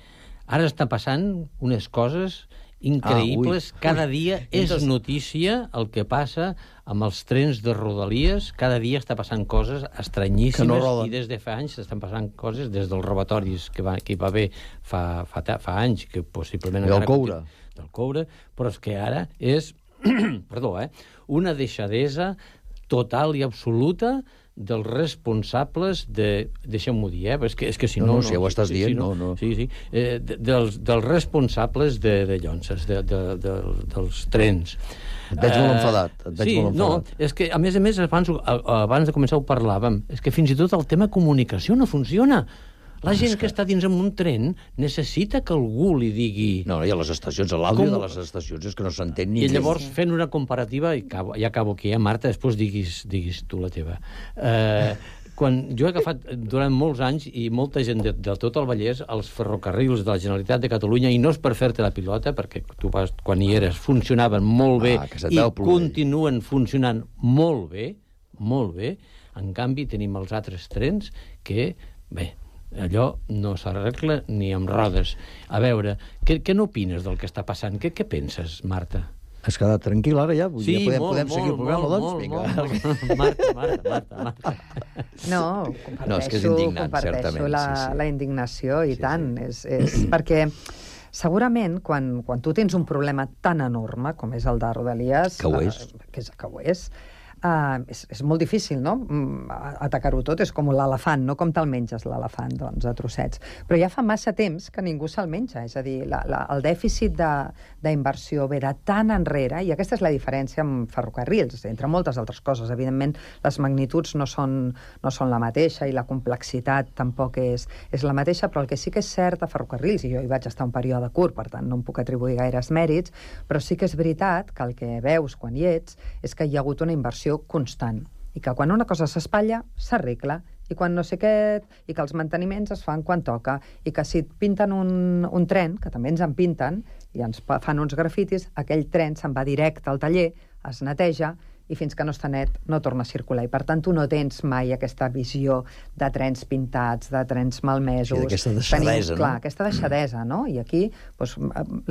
Speaker 6: Ara està passant unes coses increïbles.
Speaker 5: Ah, ui.
Speaker 6: Cada
Speaker 5: Ui.
Speaker 6: dia és
Speaker 5: Entonces-
Speaker 6: notícia el que passa amb els trens de Rodalies. Cada dia està passant coses estranyíssimes,
Speaker 5: Que no roden.
Speaker 6: i des de fa anys estan passant coses, des dels robatoris que, va, que hi va haver fa, fa, ta- fa anys, que possiblement...
Speaker 5: Del
Speaker 6: encara
Speaker 5: coure.
Speaker 6: continu- Del coure, però és que ara és, perdó, eh, una deixadesa total i absoluta dels responsables de... Deixa'm-ho dir, eh? És que, és que si
Speaker 5: No,
Speaker 6: no...
Speaker 5: no, si ja ho estàs
Speaker 6: sí,
Speaker 5: dient,
Speaker 6: sí,
Speaker 5: no, no.
Speaker 6: Sí, sí. Eh, de, dels, dels responsables de, de llonces, de, de, de, dels trens.
Speaker 5: Et veig molt
Speaker 6: Eh,
Speaker 5: enfadat, et veig
Speaker 6: sí,
Speaker 5: molt enfadat.
Speaker 6: no, és que, a més a més, abans, abans de començar ho parlàvem, és que fins i tot el tema comunicació no funciona. La gent que està dins en un tren necessita que algú li digui...
Speaker 5: No, i a les estacions, l'àudio
Speaker 6: Com-
Speaker 5: de les estacions és que no s'entén ni...
Speaker 6: I llavors, fent una comparativa, i acabo, ja acabo aquí, eh, Marta, després diguis, diguis tu la teva. Eh, quan jo he agafat durant molts anys, i molta gent de, de tot el Vallès, els ferrocarrils de la Generalitat de Catalunya, i no és per fer-te la pilota, perquè tu vas, quan hi eres, funcionaven molt bé,
Speaker 5: Ah, que se't
Speaker 6: i
Speaker 5: veu ploure.
Speaker 6: continuen funcionant molt bé, molt bé. En canvi, tenim els altres trens que, bé, allò no s'arregla ni amb rodes. A veure, què, què n'opines del que està passant? Què, què penses, Marta?
Speaker 5: Has quedat tranquil ara ja? Vull dir,
Speaker 6: Sí,
Speaker 5: podem,
Speaker 6: molt,
Speaker 5: podem seguir el
Speaker 6: molt,
Speaker 5: programa,
Speaker 6: molt,
Speaker 5: doncs?
Speaker 6: molt,
Speaker 5: Vinga.
Speaker 6: molt, molt. Marta, Marta, Marta, Marta.
Speaker 14: No, comparteixo,
Speaker 5: No, és que és indignant,
Speaker 14: comparteixo
Speaker 5: certament,
Speaker 14: la,
Speaker 5: sí, sí.
Speaker 14: la indignació, i tant. És, és perquè segurament quan, quan tu tens un problema tan enorme com és el de Rodalies,
Speaker 5: Que ho és.
Speaker 14: eh, que, és, que ho és, Uh, és, és molt difícil, no?, atacar-ho tot. És com l'elefant, no? Com te'l menges, l'elefant, doncs, a trossets. Però ja fa massa temps que ningú se'l menja. És a dir, la, la, el dèficit d'inversió ve de tan enrere, i aquesta és la diferència amb ferrocarrils, entre moltes altres coses. Evidentment, les magnituds no són, no són la mateixa i la complexitat tampoc és, és la mateixa, però el que sí que és cert a ferrocarrils, i jo hi vaig estar un període curt, per tant, no em puc atribuir gaires mèrits, però sí que és veritat que el que veus quan hi ets és que hi ha hagut una inversió constant, i que quan una cosa s'espatlla, s'arregla, i quan no sé què, i que els manteniments es fan quan toca, i que si et pinten un, un tren, que també ens en pinten, i ens fan uns grafitis, aquell tren se'n va directe al taller, es neteja, i fins que no està net no torna a circular. I per tant tu no tens mai aquesta visió de trens pintats, de trens malmesos.
Speaker 5: Sí, d'aquesta deixadesa,
Speaker 14: Tenim, clar,
Speaker 5: no?
Speaker 14: aquesta deixadesa, no? I aquí doncs,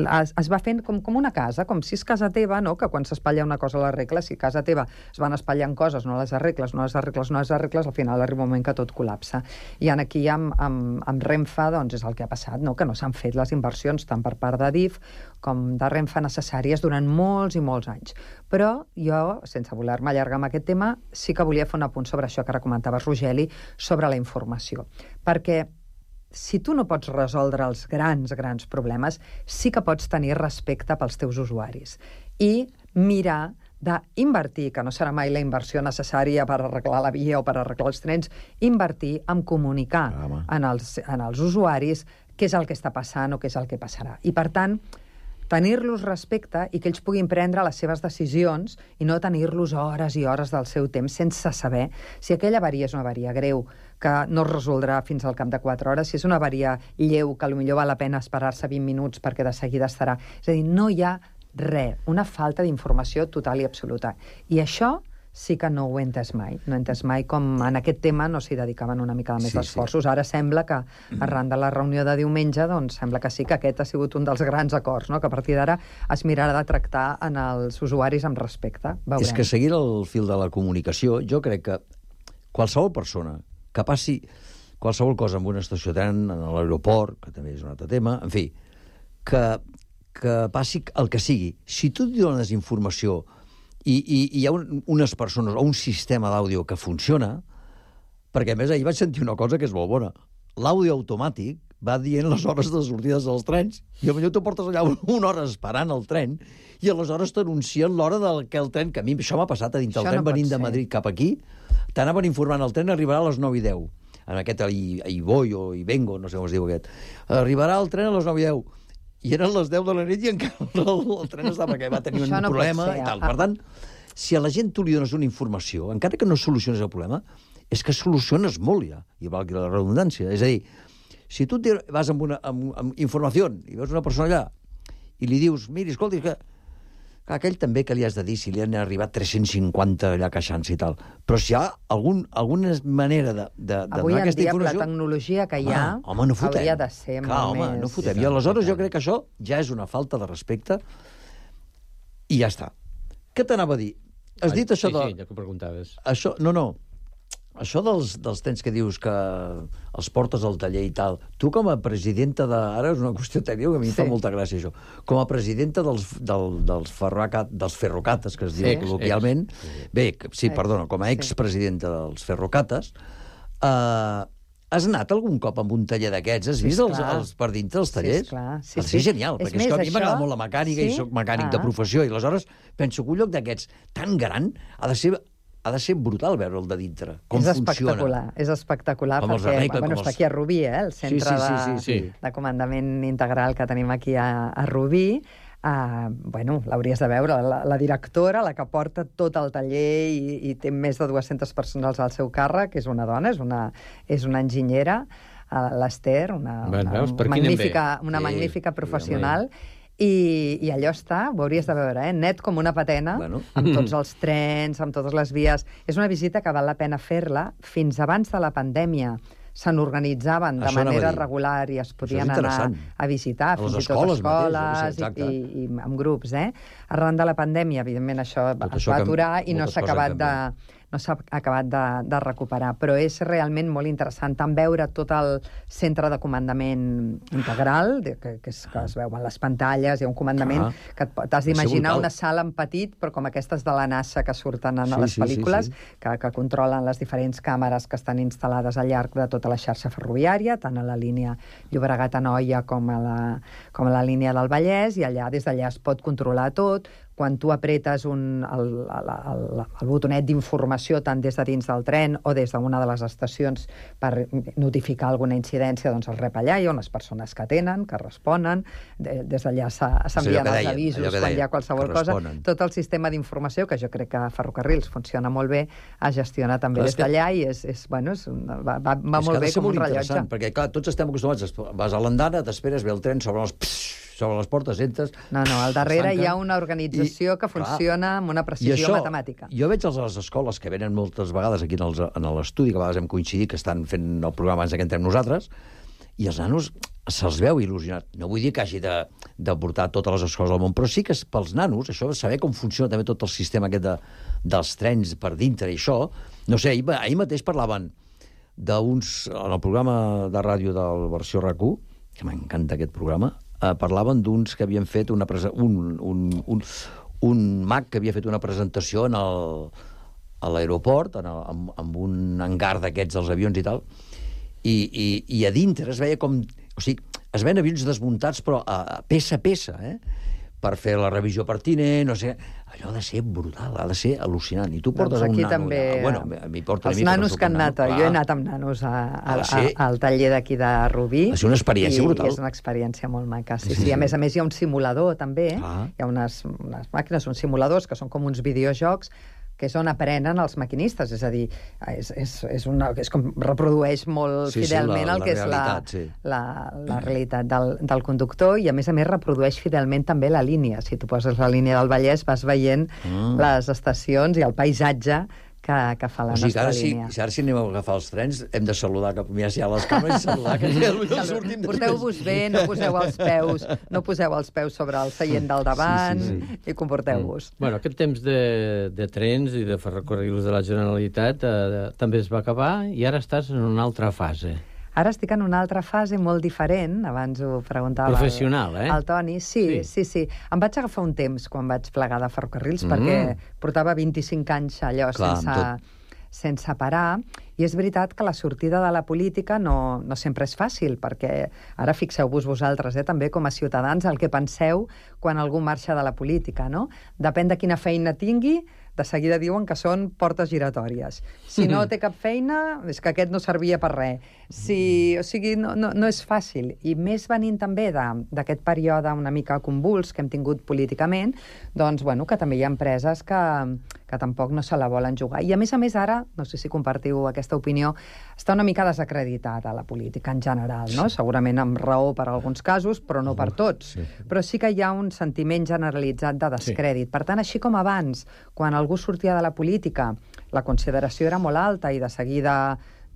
Speaker 14: es, es va fent com, com una casa, com si és casa teva, no?, que quan s'espatlla una cosa l'arregles, si a casa teva es van espatllant coses, no les arregles, no les arregles, no les arregles, al final arriba un moment que tot col·lapsa. I en aquí amb, amb, amb Renfe doncs, és el que ha passat, no?, que no s'han fet les inversions tant per part de D I F com de Renfe necessàries durant molts i molts anys. Però jo, sense voler-me allargar amb aquest tema, sí que volia fer un apunt sobre això que ara comentaves, Rogeli, sobre la informació. Perquè si tu no pots resoldre els grans, grans problemes, sí que pots tenir respecte pels teus usuaris. I mirar d'invertir, que no serà mai la inversió necessària per arreglar la via o per arreglar els trens, invertir en comunicar ah, en, els, en els usuaris què és el que està passant o què és el que passarà. I, per tant, tenir-los respecte i que ells puguin prendre les seves decisions i no tenir-los hores i hores del seu temps sense saber si aquella avaria és una avaria greu, que no es resoldrà fins al cap de quatre hores, si és una avaria lleu, que potser val la pena esperar-se vint minuts perquè de seguida estarà. És a dir, no hi ha res, una falta d'informació total i absoluta. I això sí que no ho he entès mai. No he entès mai com en aquest tema no s'hi dedicaven una mica més sí, d'esforços. Sí. Ara sembla que, arran de la reunió de diumenge, doncs sembla que sí que aquest ha sigut un dels grans acords, no?, que a partir d'ara es mirarà de tractar en els usuaris amb respecte. Veurem.
Speaker 5: És que seguint el fil de la comunicació, jo crec que qualsevol persona que passi qualsevol cosa en una estació de tren, en l'aeroport, que també és un altre tema, en fi, que, que passi el que sigui. Si tu dones informació i, i, i hi ha un, unes persones o un sistema d'àudio que funciona, perquè a més ahir vaig sentir una cosa que és molt bona. L'àudio automàtic va dient les hores de sortides dels trens i potser tu portes allà una hora esperant el tren i aleshores t'anuncien l'hora del que el tren, que a mi això m'ha passat a dintre el tren, no venint de Madrid cap aquí, t'anaven informant el tren arribarà a les nou i deu. En aquest Iboi o Ivengo, no sé com es diu aquest. Arribarà el tren a les nou i deu. I eren les deu de la nit i encara el, el tren estava que va tenir un no problema ser, i tal. Per tant, si a la gent tu li dones una informació, encara que no soluciones el problema, és que soluciones molt ja, i valgui la redundància. És a dir, si tu vas amb, una, amb, amb informació i veus una persona allà i li dius, miri, escolti, que aquell també que li has de dir si li han arribat tres-cents cinquanta allà queixant-se i tal. Però si hi ha algun, alguna manera de, de, de
Speaker 14: avui
Speaker 5: donar aquesta
Speaker 14: dia,
Speaker 5: informació...
Speaker 14: Avui en dia, la tecnologia que hi ha
Speaker 5: ah, home, no fotem.
Speaker 14: hauria de ser
Speaker 5: Clar,
Speaker 14: molt
Speaker 5: home,
Speaker 14: més...
Speaker 5: no fotem. I aleshores jo crec que això ja és una falta de respecte i ja està. Què t'anava a dir? Has dit això
Speaker 6: sí,
Speaker 5: de...
Speaker 6: Sí, ja que ho preguntaves.
Speaker 5: Això, no, no. Això dels, dels trens que dius que els portes al taller i tal, tu com a presidenta de... Ara és una qüestió tècnica que a mi em fa
Speaker 14: Sí.
Speaker 5: molta gràcia, això. Com a presidenta dels, del, dels, ferrocat, dels ferrocates, que es diu
Speaker 6: Ex,
Speaker 5: col·loquialment... Bé, sí,
Speaker 14: Ex,
Speaker 5: perdona, com a expresidenta dels ferrocates, eh, has anat algun cop amb un taller d'aquests? Has
Speaker 14: Sí,
Speaker 5: vist els,
Speaker 14: esclar.
Speaker 5: els per dintre els tallers?
Speaker 14: Sí, esclar. Sí,
Speaker 5: Ha de
Speaker 14: sí.
Speaker 5: ser genial,
Speaker 14: És
Speaker 5: perquè és
Speaker 14: més,
Speaker 5: que a mi m'agrada
Speaker 14: això-
Speaker 5: molt la mecànica
Speaker 14: Sí?
Speaker 5: i soc mecànic
Speaker 14: Ah.
Speaker 5: de professió, i aleshores penso que un lloc d'aquests tan gran ha de ser ha de ser brutal veure'l de dintre. Com
Speaker 14: és
Speaker 5: funciona.
Speaker 14: espectacular, és espectacular
Speaker 5: Com els
Speaker 14: perquè
Speaker 5: arregla,
Speaker 14: bueno,
Speaker 5: com
Speaker 14: està
Speaker 5: els-
Speaker 14: aquí a Rubí, eh, el centre
Speaker 5: Sí, sí, sí, sí, sí.
Speaker 14: De, de comandament integral que tenim aquí a, a Rubí. Uh, bueno, l'hauries de veure, la, la directora, la que porta tot el taller i, i té més de dues-centes persones al seu càrrec, és una dona, és una, és una enginyera, uh, l'Ester, una,
Speaker 6: Ben,
Speaker 14: una,
Speaker 6: veus, per aquí anem
Speaker 14: magnífica,
Speaker 6: bé.
Speaker 14: una
Speaker 6: Sí,
Speaker 14: magnífica
Speaker 6: sí,
Speaker 14: professional. I, i allò està, ho hauries de veure, eh? Net com una patena,
Speaker 5: Bueno.
Speaker 14: amb tots els trens, amb totes les vies. És una visita que val la pena fer-la. Fins abans de la pandèmia se n'organitzaven de
Speaker 5: Això anava
Speaker 14: manera
Speaker 5: a dir.
Speaker 14: regular i es podien
Speaker 5: és
Speaker 14: anar
Speaker 5: interessant.
Speaker 14: a visitar,
Speaker 5: A les
Speaker 14: fins i tot
Speaker 5: escoles mateix,
Speaker 14: escoles
Speaker 5: jo què sé,
Speaker 14: i,
Speaker 5: exacte.
Speaker 14: i, i amb grups. Eh? Arran de la pandèmia, evidentment, això
Speaker 5: Tot
Speaker 14: es
Speaker 5: això
Speaker 14: va
Speaker 5: que
Speaker 14: aturar i no
Speaker 5: moltes
Speaker 14: s'ha
Speaker 5: coses
Speaker 14: acabat
Speaker 5: han
Speaker 14: de, no s'ha acabat de, de recuperar. Però és realment molt interessant tant veure tot el centre de comandament integral, de, que, que, és, que es veuen les pantalles, hi ha un comandament ah, que t'has d'imaginar una sala en petit, però com aquestes de la NASA que surten en sí, les pel·lícules, sí, sí, sí. Que, que controlen les diferents càmeres que estan instal·lades al llarg de tota la xarxa ferroviària, tant a la línia Llobregat-Anoia com a la, com a la línia del Vallès, i allà, des d'allà es pot controlar tot. Quan tu apretes un, el, el, el, el botonet d'informació tant des de dins del tren o des d'una de les estacions per notificar alguna incidència, doncs el rep allà, hi ha unes persones que atenen, que responen, de, des d'allà s'envien els deien, avisos quan hi ha qualsevol cosa. Tot el sistema d'informació, que jo crec que a Ferrocarrils funciona molt bé, es gestiona també clar, des d'allà i és, és, bueno, és, va, va, va molt bé com un rellotge.
Speaker 5: Perquè clar, tots estem acostumats, vas a l'andana, t'esperes, ve el tren, sobre els... Pss, sobre les portes, entres...
Speaker 14: No, no, al darrere hi ha una organització I, que funciona clar, amb una precisió això, matemàtica.
Speaker 5: Jo veig a les escoles que venen moltes vegades aquí en l'estudi, que a vegades hem coincidit, que estan fent el programa abans que entrem nosaltres, i els nanos se'ls veu il·lusionat. No vull dir que hagi de, de portar totes les escoles del món, però sí que pels nanos, això de saber com funciona també tot el sistema aquest de, dels trens per dintre i això, no sé, ahir, ahir mateix parlaven d'uns... En el programa de ràdio del versió R A C u, que m'encanta aquest programa, eh, parlaven d'uns que havien fet una presa, un, un, un, un mag que havia fet una presentació en el, a l'aeroport, amb, amb un hangar d'aquests dels avions i tal, i, i, i a dintre es veia com... O sigui, es veien avions desmuntats, però a, a peça a peça, eh? Per fer la revisió pertinent, no sé... Allò ha de ser brutal, ha de ser al·lucinant. I tu portes doncs un nano...
Speaker 14: També,
Speaker 5: ja, bueno, m'hi porta
Speaker 14: els nanos que han anat, jo he anat amb nanos a, a, a, al taller d'aquí de Rubí.
Speaker 5: Ha de ser una experiència
Speaker 14: i,
Speaker 5: brutal.
Speaker 14: I és una experiència molt maca. Sí, sí. A més a més hi ha un simulador, també. Ah. Hi ha unes, unes màquines, uns simuladors, que són com uns videojocs, que és on aprenen els maquinistes, és a dir, és, és, és, una, és com reprodueix molt sí, fidelment sí, la, el que és la, sí. la, la realitat del, del conductor, i a més a més reprodueix fidelment també la línia. Si tu poses la línia del Vallès vas veient mm. les estacions i el paisatge que, que fa la o sigui, nostra ara línia.
Speaker 5: Si, ara si anem a agafar els trens hem de saludar, que mirar si hi ha les càmeres i saludar, que ja potser sortim...
Speaker 14: Porteu-vos bé, no poseu els peus no poseu els peus sobre el seient del davant sí, sí, sí. i comporteu-vos.
Speaker 6: Mm. Bueno, aquest temps de, de trens i de ferrocarrils de la Generalitat eh, també es va acabar i ara estàs en una altra fase.
Speaker 14: Ara estic en una altra fase molt diferent, abans ho preguntava
Speaker 6: professional,
Speaker 14: el,
Speaker 6: eh?
Speaker 14: el Toni. Sí, sí, sí, sí. Em vaig agafar un temps quan vaig plegar de ferrocarrils, mm. perquè portava vint-i-cinc anys allò clar, sense, tot... sense parar, i és veritat que la sortida de la política no, no sempre és fàcil, perquè ara fixeu-vos vosaltres, eh, també com a ciutadans, el que penseu quan algú marxa de la política, no? Depèn de quina feina tingui, de seguida diuen que són portes giratòries. Si no té cap feina, és que aquest no servia per res. Si, o sigui, no, no, no és fàcil. I més venint també d'aquest període una mica convuls que hem tingut políticament, doncs, bueno, que també hi ha empreses que, que tampoc no se la volen jugar. I a més a més ara, no sé si compartiu aquesta opinió, està una mica desacreditada la política en general, no? Segurament amb raó per alguns casos, però no per tots. Però sí que hi ha un sentiment generalitzat de descrèdit. Per tant, així com abans, quan algú sortia de la política, la consideració era molt alta i de seguida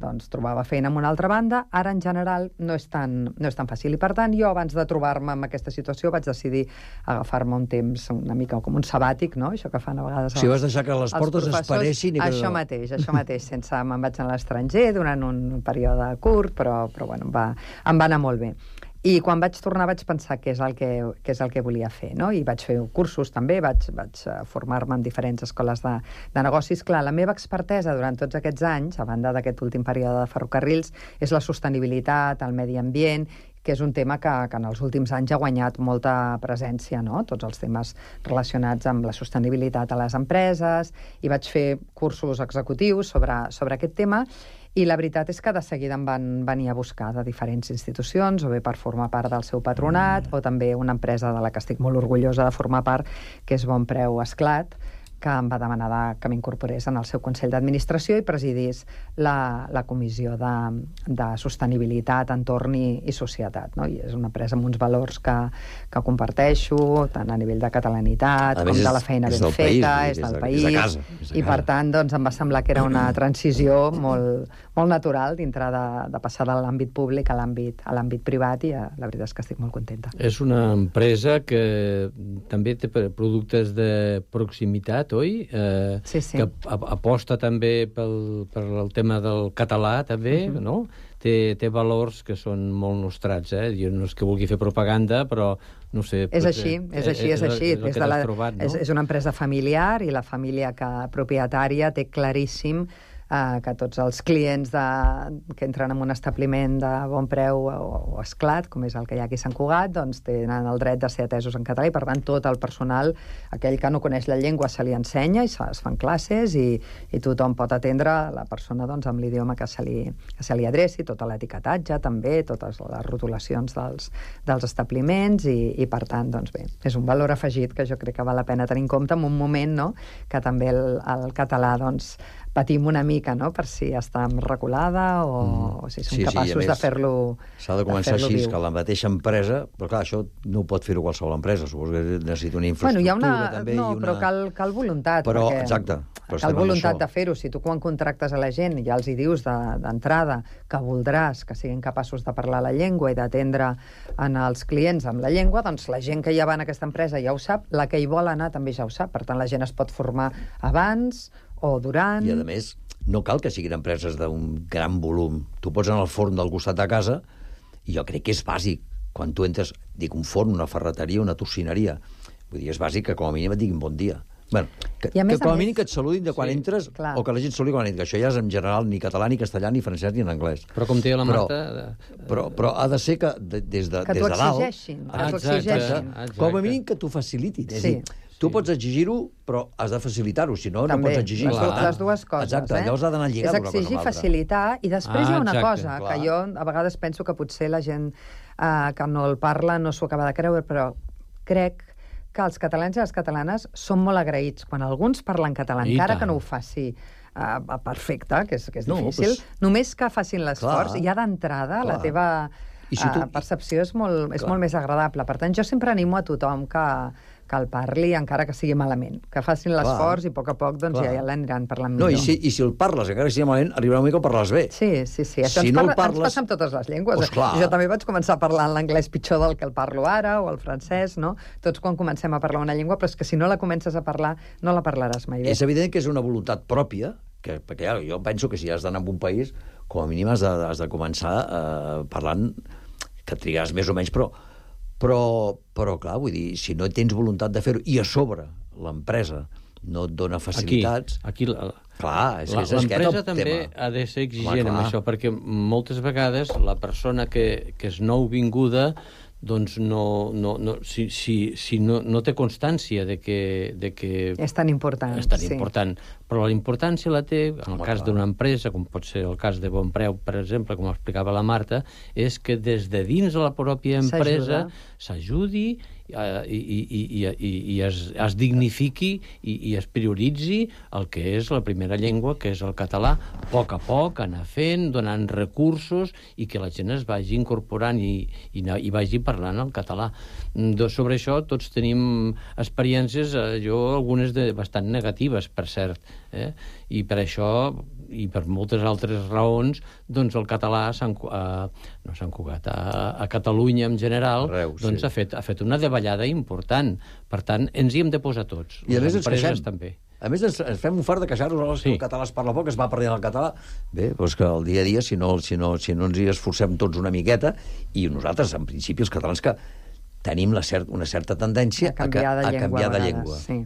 Speaker 14: doncs, trobava feina en una altra banda, ara en general no és tan, no és tan fàcil. I per tant, jo abans de trobar-me en aquesta situació vaig decidir agafar-me un temps una mica com un sabàtic, no? Això que fan a vegades...
Speaker 5: Si vas deixar que les portes es paressin... I que...
Speaker 14: Això mateix, això mateix. Sense me'n vaig a l'estranger durant un període curt, però, però bueno, em va, em va anar molt bé. I quan vaig tornar vaig pensar què és el que, què és el que volia fer, no? I vaig fer cursos també, vaig, vaig formar-me en diferents escoles de, de negocis. Clar, la meva expertesa durant tots aquests anys, a banda d'aquest últim període de ferrocarrils, és la sostenibilitat, el medi ambient, que és un tema que, que en els últims anys ha guanyat molta presència, no? Tots els temes relacionats amb la sostenibilitat a les empreses, i vaig fer cursos executius sobre, sobre aquest tema, i la veritat és que de seguida em van venir a buscar de diferents institucions, o bé per formar part del seu patronat, o també una empresa de la que estic molt orgullosa de formar part, que és Bon Preu Esclat, que em va demanar de, que m'incorporés en el seu Consell d'Administració i presidís la, la Comissió de, de Sostenibilitat, Entorn i, i Societat. No? I és una empresa amb uns valors que, que comparteixo, tant a nivell de catalanitat, a com de la feina ben feta,
Speaker 5: és
Speaker 14: del
Speaker 5: país, és de casa. És de
Speaker 14: I per tant doncs, em va semblar que era una transició molt, molt natural dintre de, de passar de l'àmbit públic a l'àmbit a l'àmbit privat, i la veritat és que estic molt contenta.
Speaker 6: És una empresa que també té productes de proximitat, fet, oi? Eh,
Speaker 14: sí, sí.
Speaker 6: Que aposta també pel, per el tema del català, també, uh-huh. no? Té, té valors que són molt nostrats, eh? Jo no és que vulgui fer propaganda, però no sé...
Speaker 14: És així, és així, és així.
Speaker 6: És, és,
Speaker 14: de la,
Speaker 6: trobat, no?
Speaker 14: és, és una empresa familiar i la família que, propietària té claríssim eh, que tots els clients de, que entren en un establiment de bon preu o, o esclat, com és el que hi ha aquí a Sant Cugat, doncs tenen el dret de ser atesos en català i, per tant, tot el personal, aquell que no coneix la llengua, se li ensenya i se, es fan classes i, i tothom pot atendre la persona doncs, amb l'idioma que se li, que se li adreci, tot l'etiquetatge també, totes les rotulacions dels, dels establiments i, i, per tant, doncs bé, és un valor afegit que jo crec que val la pena tenir en compte en un moment, no?, que també el, el català, doncs, patim una mica, no?, per si està reculada o, mm. o si som sí, capaços sí, de fer-lo
Speaker 5: s'ha de començar de així, viu. Que la mateixa empresa... Però clar, això no ho pot fer-ho qualsevol empresa, suposo que necessita una infraestructura
Speaker 14: bueno, hi ha una,
Speaker 5: també.
Speaker 14: No,
Speaker 5: i una...
Speaker 14: però cal, cal voluntat.
Speaker 5: Però,
Speaker 14: perquè
Speaker 5: exacte. Però
Speaker 14: cal voluntat de fer-ho. Si tu quan contractes a la gent ja els hi dius d'entrada de, que voldràs que siguin capaços de parlar la llengua i d'atendre en els clients amb la llengua, doncs la gent que ja va en aquesta empresa ja ho sap, la que hi vol anar també ja ho sap. Per tant, la gent es pot formar abans o durant...
Speaker 5: I, a més, no cal que siguin empreses d'un gran volum. Tu pots anar al forn del costat de casa i jo crec que és bàsic. Quan tu entres, dic, un forn, una ferreteria, una tocineria. Vull dir, és bàsic que com a mínim et diguin bon dia. Bueno, que, que com a mínim que et saludin de quan sí, entres clar. O que la gent saludi quan entres. Això ja és en general ni català, ni castellà, ni francès, ni en anglès.
Speaker 6: Però com deia la Marta...
Speaker 5: Però, però, però ha de ser que de, des de,
Speaker 14: que
Speaker 5: des de dalt...
Speaker 14: Exigeixin, ah, que t'ho exigeixin.
Speaker 5: Com a mínim que t'ho facilitin. Sí. És dir, tu pots exigir-ho, però has de facilitar-ho, si no,
Speaker 14: també,
Speaker 5: no pots exigir.
Speaker 14: Les, les dues coses,
Speaker 5: exacte,
Speaker 14: eh?
Speaker 5: llavors ha d'anar lligat
Speaker 14: una cosa amb l'altra. És exigir, facilitar, i després ah, hi ha una exacte, cosa, clar. Que jo a vegades penso que potser la gent eh, que no el parla no s'ho acaba de creure, però crec que els catalans i les catalanes són molt agraïts. Quan alguns parlen català, I encara tant. Que no ho faci uh, perfecte, que és, que és no, difícil, pues, només que facin l'esforç, ja d'entrada la teva si tu... uh, percepció és, molt, és molt més agradable. Per tant, jo sempre animo a tothom que, que el parli, encara que sigui malament. Que facin l'esforç i a poc a poc doncs, ja, ja l'aniran parlant millor.
Speaker 5: No, i si, i si el parles, encara que sigui malament, arribarà una mica a parlar-les bé.
Speaker 14: Sí, sí, sí. Això
Speaker 5: si
Speaker 14: ens,
Speaker 5: no
Speaker 14: parla,
Speaker 5: parles...
Speaker 14: ens passa amb totes les llengües.
Speaker 5: Pues clar.
Speaker 14: Jo també vaig començar parlant l'anglès pitjor del que el parlo ara, o el francès, no? Tots quan comencem a parlar una llengua, però és que si no la comences a parlar, no la parlaràs mai bé.
Speaker 5: És evident que és una voluntat pròpia, que, perquè ja, jo penso que si has d'anar a un país, com a mínim has de, has de començar eh, parlant, que trigaràs més o menys, però Però, però, clar, vull dir, si no tens voluntat de fer-ho, i a sobre l'empresa no et dona facilitats...
Speaker 6: Aquí, aquí la,
Speaker 5: clar, és,
Speaker 6: la,
Speaker 5: és
Speaker 6: l'empresa també ha de ser exigent amb això, perquè moltes vegades la persona que, que és nouvinguda doncs no, no, no, si, si, si no, no té constància de que, de que...
Speaker 14: És tan important.
Speaker 6: És tan
Speaker 14: sí.
Speaker 6: important. Però la importància la té, en el Home, cas d'una empresa, com pot ser el cas de Bonpreu, per exemple, com explicava la Marta, és que des de dins de la pròpia empresa s'ajudi uh, i, i, i, i, i es, es dignifiqui i, i es prioritzi el que és la primera llengua, que és el català, a poc a poc, anar fent, donant recursos i que la gent es vagi incorporant i, i, i vagi parlant el català. Sobre això tots tenim experiències, eh, jo algunes de bastant negatives, per cert, eh? I per això i per moltes altres raons, doncs el català a Sant, a, no a Sant Cugat, a, a Catalunya en general, Arreu, doncs sí. ha, fet, ha fet una davallada important. Per tant, ens hi hem de posar tots.
Speaker 5: I a més ens queixem.
Speaker 6: També.
Speaker 5: A més, ens, ens fem un fart de queixar-nos sí. que el català es parla poc, es va perdent el català. Bé, doncs que el dia a dia, si no, si no, si no ens hi esforcem tots una miqueta, i nosaltres, en principi, els catalans que tenim la cert, una certa tendència a canviar de, a, a llengua, canviar de llengua.
Speaker 14: Sí.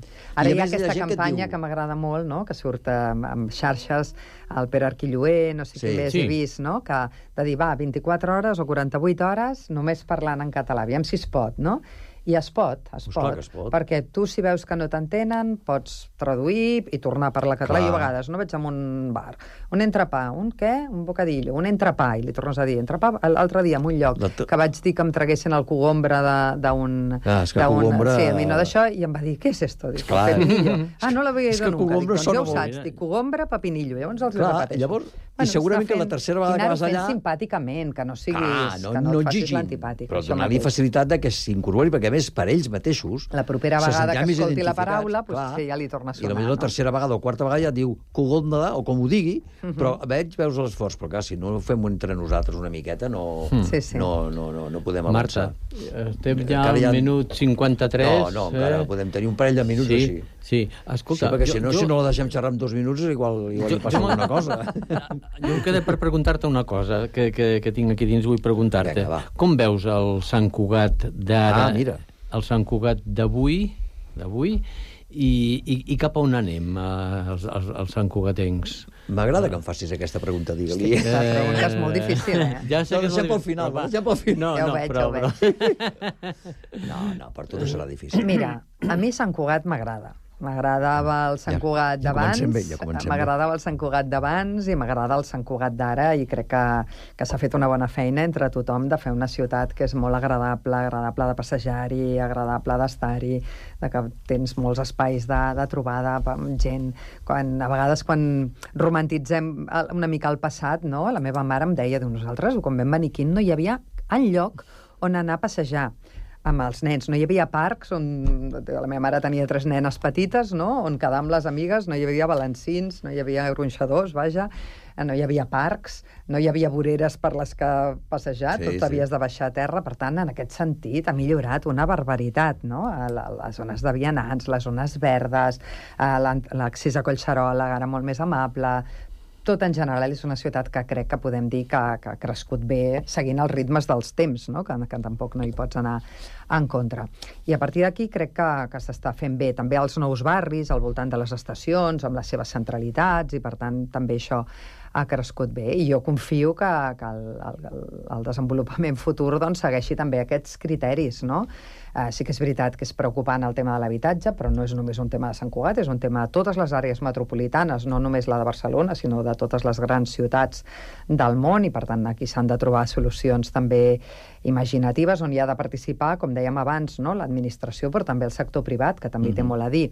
Speaker 14: Ara hi ha aquesta campanya que, diu... que m'agrada molt, no? Que surt amb, amb xarxes, el Pere Arquilloé, no sé sí. qui més sí. he vist, no? Que de dir, va, vint-i-quatre hores o quaranta-vuit hores només parlant en català. Aviam si es pot, no? I es pot, es,
Speaker 5: pues
Speaker 14: pot,
Speaker 5: es pot,
Speaker 14: perquè tu, si veus que no t'entenen, pots traduir i tornar a parlar català. Clar. I a vegades no vaig a un bar. Un entrepà, un què? Un bocadillo, un entrepà, i li tornes a dir entrepà. L'altre dia, en un lloc, La que vaig dir que em traguessin el cogombre d'un...
Speaker 5: Ah, és que cogombre...
Speaker 14: Sí, a mi no d'això, i em va dir, què és esto? Dic, pepinillo. Ah, no l'havia dit nunca. Dic, doncs ja ho saps, dic, cogombre, pepinillo. Llavors els
Speaker 5: Clar,
Speaker 14: repeteixo.
Speaker 5: Llavors, bueno, i segurament fent, que la tercera vegada que vas allà...
Speaker 14: I simpàticament, que no siguis...
Speaker 5: Clar, no,
Speaker 14: que no,
Speaker 5: no
Speaker 14: et facis
Speaker 5: exigin,
Speaker 14: l'antipàtic.
Speaker 5: però donar-li facilitat de que s'incorpori, perquè a més, per ells mateixos
Speaker 14: la propera vegada que escolti la paraula, pues, sí, ja li torna a sonar.
Speaker 5: I potser la no? tercera vegada o quarta vegada ja diu cogombre, o com ho digui, uh -huh. però veig, veus l'esforç. Però clar, si no ho fem entre nosaltres una miqueta, no,
Speaker 14: sí, sí.
Speaker 5: no, no, no, no podem avançar.
Speaker 6: Marta, estem ja al ja... minut cinquanta-tres.
Speaker 5: No, no, encara eh? podem tenir un parell de minuts
Speaker 6: sí,
Speaker 5: així.
Speaker 6: Sí, escolta...
Speaker 5: Sí, perquè si no,
Speaker 6: jo,
Speaker 5: si no la deixem xerrar en dos minuts, igual, igual
Speaker 6: jo,
Speaker 5: li passa
Speaker 6: jo,
Speaker 5: alguna cosa.
Speaker 6: Jo em queda per preguntar-te una cosa que, que, que tinc aquí dins, vull preguntar-te. Com veus el Sant Cugat d'ara,
Speaker 5: Ah, mira.
Speaker 6: el Sant Cugat d'avui, d'avui, i, i, i cap a on anem, eh, els, els, els Sant Cugatencs?
Speaker 5: M'agrada que em facis aquesta pregunta, digue-li.
Speaker 14: Sí, la pregunta és molt difícil, eh?
Speaker 6: Ja sé
Speaker 5: No,
Speaker 6: que és
Speaker 5: deixem
Speaker 6: molt
Speaker 5: pel final,
Speaker 6: difícil,
Speaker 5: deixem pel final.
Speaker 6: No,
Speaker 14: Ja ho
Speaker 6: no,
Speaker 14: veig,
Speaker 6: però,
Speaker 14: ja ho
Speaker 6: però...
Speaker 5: No, no, per tu no serà difícil.
Speaker 14: Mira, a mi Sant Cugat m'agrada. M'agradava el Sant
Speaker 5: Ja,
Speaker 14: Cugat
Speaker 5: ja
Speaker 14: d'abans,
Speaker 5: comencem bé, ja comencem bé.
Speaker 14: m'agradava el Sant Cugat d'abans i m'agrada el Sant Cugat d'ara, i crec que, que s'ha fet una bona feina entre tothom de fer una ciutat que és molt agradable, agradable de passejar-hi, agradable d'estar-hi, de que tens molts espais de, de trobada amb gent. Quan, a vegades quan romantitzem una mica el passat, no? La meva mare em deia, diu, nosaltres, quan vam venir aquí, no hi havia enlloc on anar a passejar amb els nens. No hi havia parcs on... La meva mare tenia tres nenes petites, no?, on quedar amb les amigues, no hi havia balancins, no hi havia gronxadors, vaja, no hi havia parcs, no hi havia voreres per les que passejar,
Speaker 5: Sí,
Speaker 14: tot
Speaker 5: sí.
Speaker 14: havies de baixar a terra. Per tant, en aquest sentit, ha millorat una barbaritat, no?, a la- les zones de vianants, les zones verdes, a l'an- l'accés a Collserola, ara molt més amable. Tot en general és una ciutat que crec que podem dir que, que ha crescut bé seguint els ritmes dels temps, no? que, que tampoc no hi pots anar en contra. I a partir d'aquí crec que, que s'està fent bé també els nous barris, al voltant de les estacions, amb les seves centralitats, i per tant també això ha crescut bé. I jo confio que, que el, el, el desenvolupament futur doncs, segueixi també aquests criteris, no? Uh, sí que és veritat que és preocupant el tema de l'habitatge, però no és només un tema de Sant Cugat, és un tema de totes les àrees metropolitanes, no només la de Barcelona, sinó de totes les grans ciutats del món, i per tant aquí s'han de trobar solucions també imaginatives on hi ha de participar, com dèiem abans, no?, l'administració, però també el sector privat, que també mm-hmm. té molt a dir.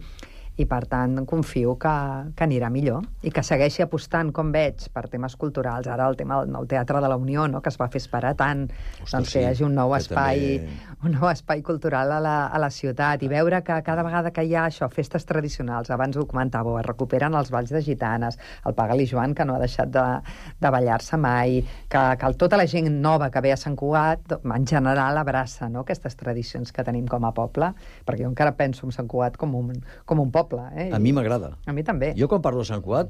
Speaker 14: I, per tant, confio que, que anirà millor i que segueixi apostant, com veig, per temes culturals. Ara el tema del nou Teatre de la Unió, no?, que es va fer esperar tant,
Speaker 5: Ostres,
Speaker 14: doncs
Speaker 5: sí,
Speaker 14: que hi hagi un nou
Speaker 5: que
Speaker 14: espai,
Speaker 5: també-
Speaker 14: un nou espai cultural a la, a la ciutat, i veure que cada vegada que hi ha això, festes tradicionals, abans ho comentàveu, es recuperen els balls de gitanes, el Pagal i Joan, que no ha deixat de, de ballar-se mai, que, que el, tota la gent nova que ve a Sant Cugat, en general, abraça, no?, aquestes tradicions que tenim com a poble, perquè jo encara penso en Sant Cugat com un, com un poble. Eh?
Speaker 5: A mi m'agrada.
Speaker 14: A mi també.
Speaker 5: Jo quan parlo de Sant Cugat,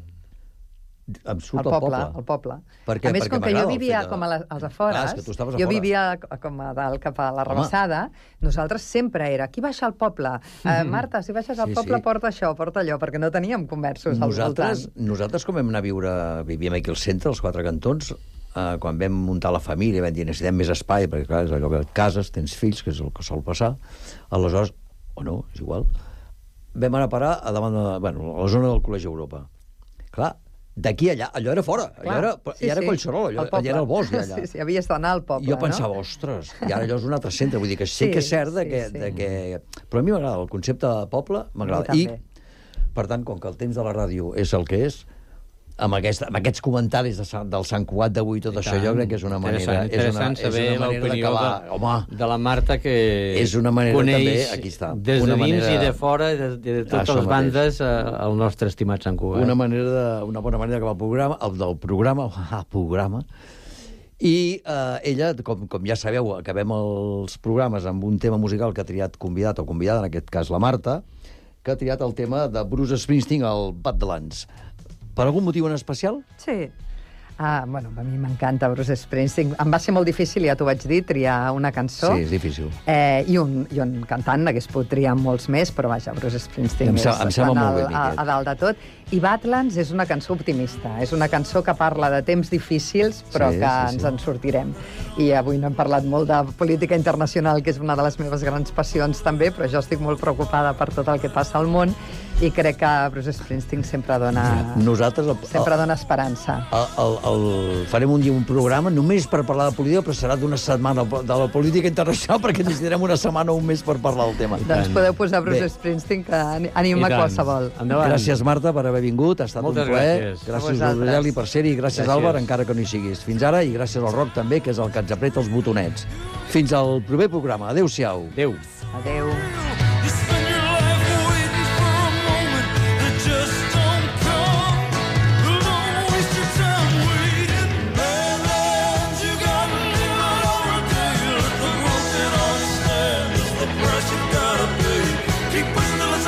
Speaker 5: em surt
Speaker 14: El
Speaker 5: el
Speaker 14: poble,
Speaker 5: poble.
Speaker 14: el poble.
Speaker 5: Per què?
Speaker 14: A més,
Speaker 5: Perquè
Speaker 14: com que jo
Speaker 5: m'agrada el
Speaker 14: vivia
Speaker 5: fet de-
Speaker 14: com a les, als
Speaker 5: Clar,
Speaker 14: afores,
Speaker 5: és que tu estaves a
Speaker 14: jo
Speaker 5: fora.
Speaker 14: vivia com a dalt cap a la Rabassada, nosaltres sempre era, qui baixa al poble? Eh, Marta, si baixes al
Speaker 5: Sí,
Speaker 14: poble,
Speaker 5: sí.
Speaker 14: porta això, porta allò, perquè no teníem comerços al
Speaker 5: Nosaltres,
Speaker 14: voltant.
Speaker 5: nosaltres com vam anar a viure, vivíem aquí al centre, als Quatre Cantons, eh, quan vam muntar la família, vam dir, necessitem més espai, perquè clar, és allò que et cases, tens fills, que és el que sol passar, aleshores, o no, és igual, vam anar a parar a davant de, bueno, a la zona del Col·legi Europa. Clar, d'aquí a allà, allò era fora, allò
Speaker 14: Clar,
Speaker 5: era,
Speaker 14: sí,
Speaker 5: ja era
Speaker 14: sí,
Speaker 5: Collserola, allò,
Speaker 14: al poble.
Speaker 5: allà era el bosc, ja, allà.
Speaker 14: Sí, sí, havies d'anar al poble,
Speaker 5: Jo pensava,
Speaker 14: no?
Speaker 5: ostres, i ara allò és un altre centre, vull dir que sí,
Speaker 14: Sí,
Speaker 5: que és cert de
Speaker 14: sí,
Speaker 5: que,
Speaker 14: sí.
Speaker 5: de que... Però a mi m'agrada, el concepte de poble m'agrada.
Speaker 14: A mi
Speaker 5: I,
Speaker 14: també.
Speaker 5: per tant, com que el temps de la ràdio és el que és, amb, aquest, amb aquests comentaris de Sant, del Sant Cugat d'avui, tot
Speaker 6: I
Speaker 5: això,
Speaker 6: tant.
Speaker 5: jo crec que és una manera...
Speaker 6: Interessant,
Speaker 5: és una,
Speaker 6: interessant saber
Speaker 5: és una manera
Speaker 6: l'opinió
Speaker 5: d'acabar.
Speaker 6: de,
Speaker 5: Home,
Speaker 6: de la Marta, que
Speaker 5: és una manera
Speaker 6: coneix
Speaker 5: també, aquí està,
Speaker 6: des de
Speaker 5: una
Speaker 6: dins
Speaker 5: manera-
Speaker 6: i de fora, de, de totes
Speaker 5: Això
Speaker 6: les bandes, eh, el nostre estimat Sant Cugat.
Speaker 5: una, manera de, una bona manera d'acabar el programa, el del programa, ah, programa, i eh, ella, com, com ja sabeu, acabem els programes amb un tema musical que ha triat convidat o convidada, en aquest cas la Marta, que ha triat el tema de Bruce Springsteen, el Badlands. Per algun motiu en especial?
Speaker 14: Sí. Ah, bueno, a mi m'encanta Bruce Springsteen. Em va ser molt difícil, ja t'ho vaig dir, triar una cançó.
Speaker 5: Sí, és difícil.
Speaker 14: Eh, i, un, I un cantant, n'hagués pogut triar molts més, però vaja, Bruce Springsteen
Speaker 5: Em
Speaker 14: és
Speaker 5: sem- em sembla
Speaker 14: quan
Speaker 5: molt
Speaker 14: al-
Speaker 5: ben dit,
Speaker 14: a,
Speaker 5: eh?
Speaker 14: a dalt de tot. I Badlands és una cançó optimista. És una cançó que parla de temps difícils, però
Speaker 5: Sí,
Speaker 14: que
Speaker 5: sí, sí.
Speaker 14: ens en sortirem. I avui no hem parlat molt de política internacional, que és una de les meves grans passions també, però jo estic molt preocupada per tot el que passa al món, i crec que Bruce Springsteen sempre dona,
Speaker 5: Nosaltres... El,
Speaker 14: sempre dona esperança.
Speaker 5: el, el, el, farem un dia un programa només per parlar de política, però serà d'una setmana de la política internacional, perquè necessitarem una setmana o un mes per parlar del tema.
Speaker 14: Doncs podeu posar Bruce
Speaker 5: Bé.
Speaker 14: Springsteen, que ani- anima qualsevol.
Speaker 5: Gràcies, Marta, per haver vingut. Ha estat
Speaker 6: Moltes
Speaker 5: un plaer.
Speaker 6: gràcies.
Speaker 14: A
Speaker 5: Gràcies,
Speaker 14: vosaltres.
Speaker 5: Aureli, per ser-hi. Gràcies,
Speaker 6: Gràcies.
Speaker 5: Àlvar, encara que no hi siguis. Fins ara, i gràcies al Roc, també, que és el que ens apreta els botonets. Fins al proper programa. Adéu-siau.
Speaker 6: Adéu.
Speaker 14: Adéu.
Speaker 15: Keep pushing till it's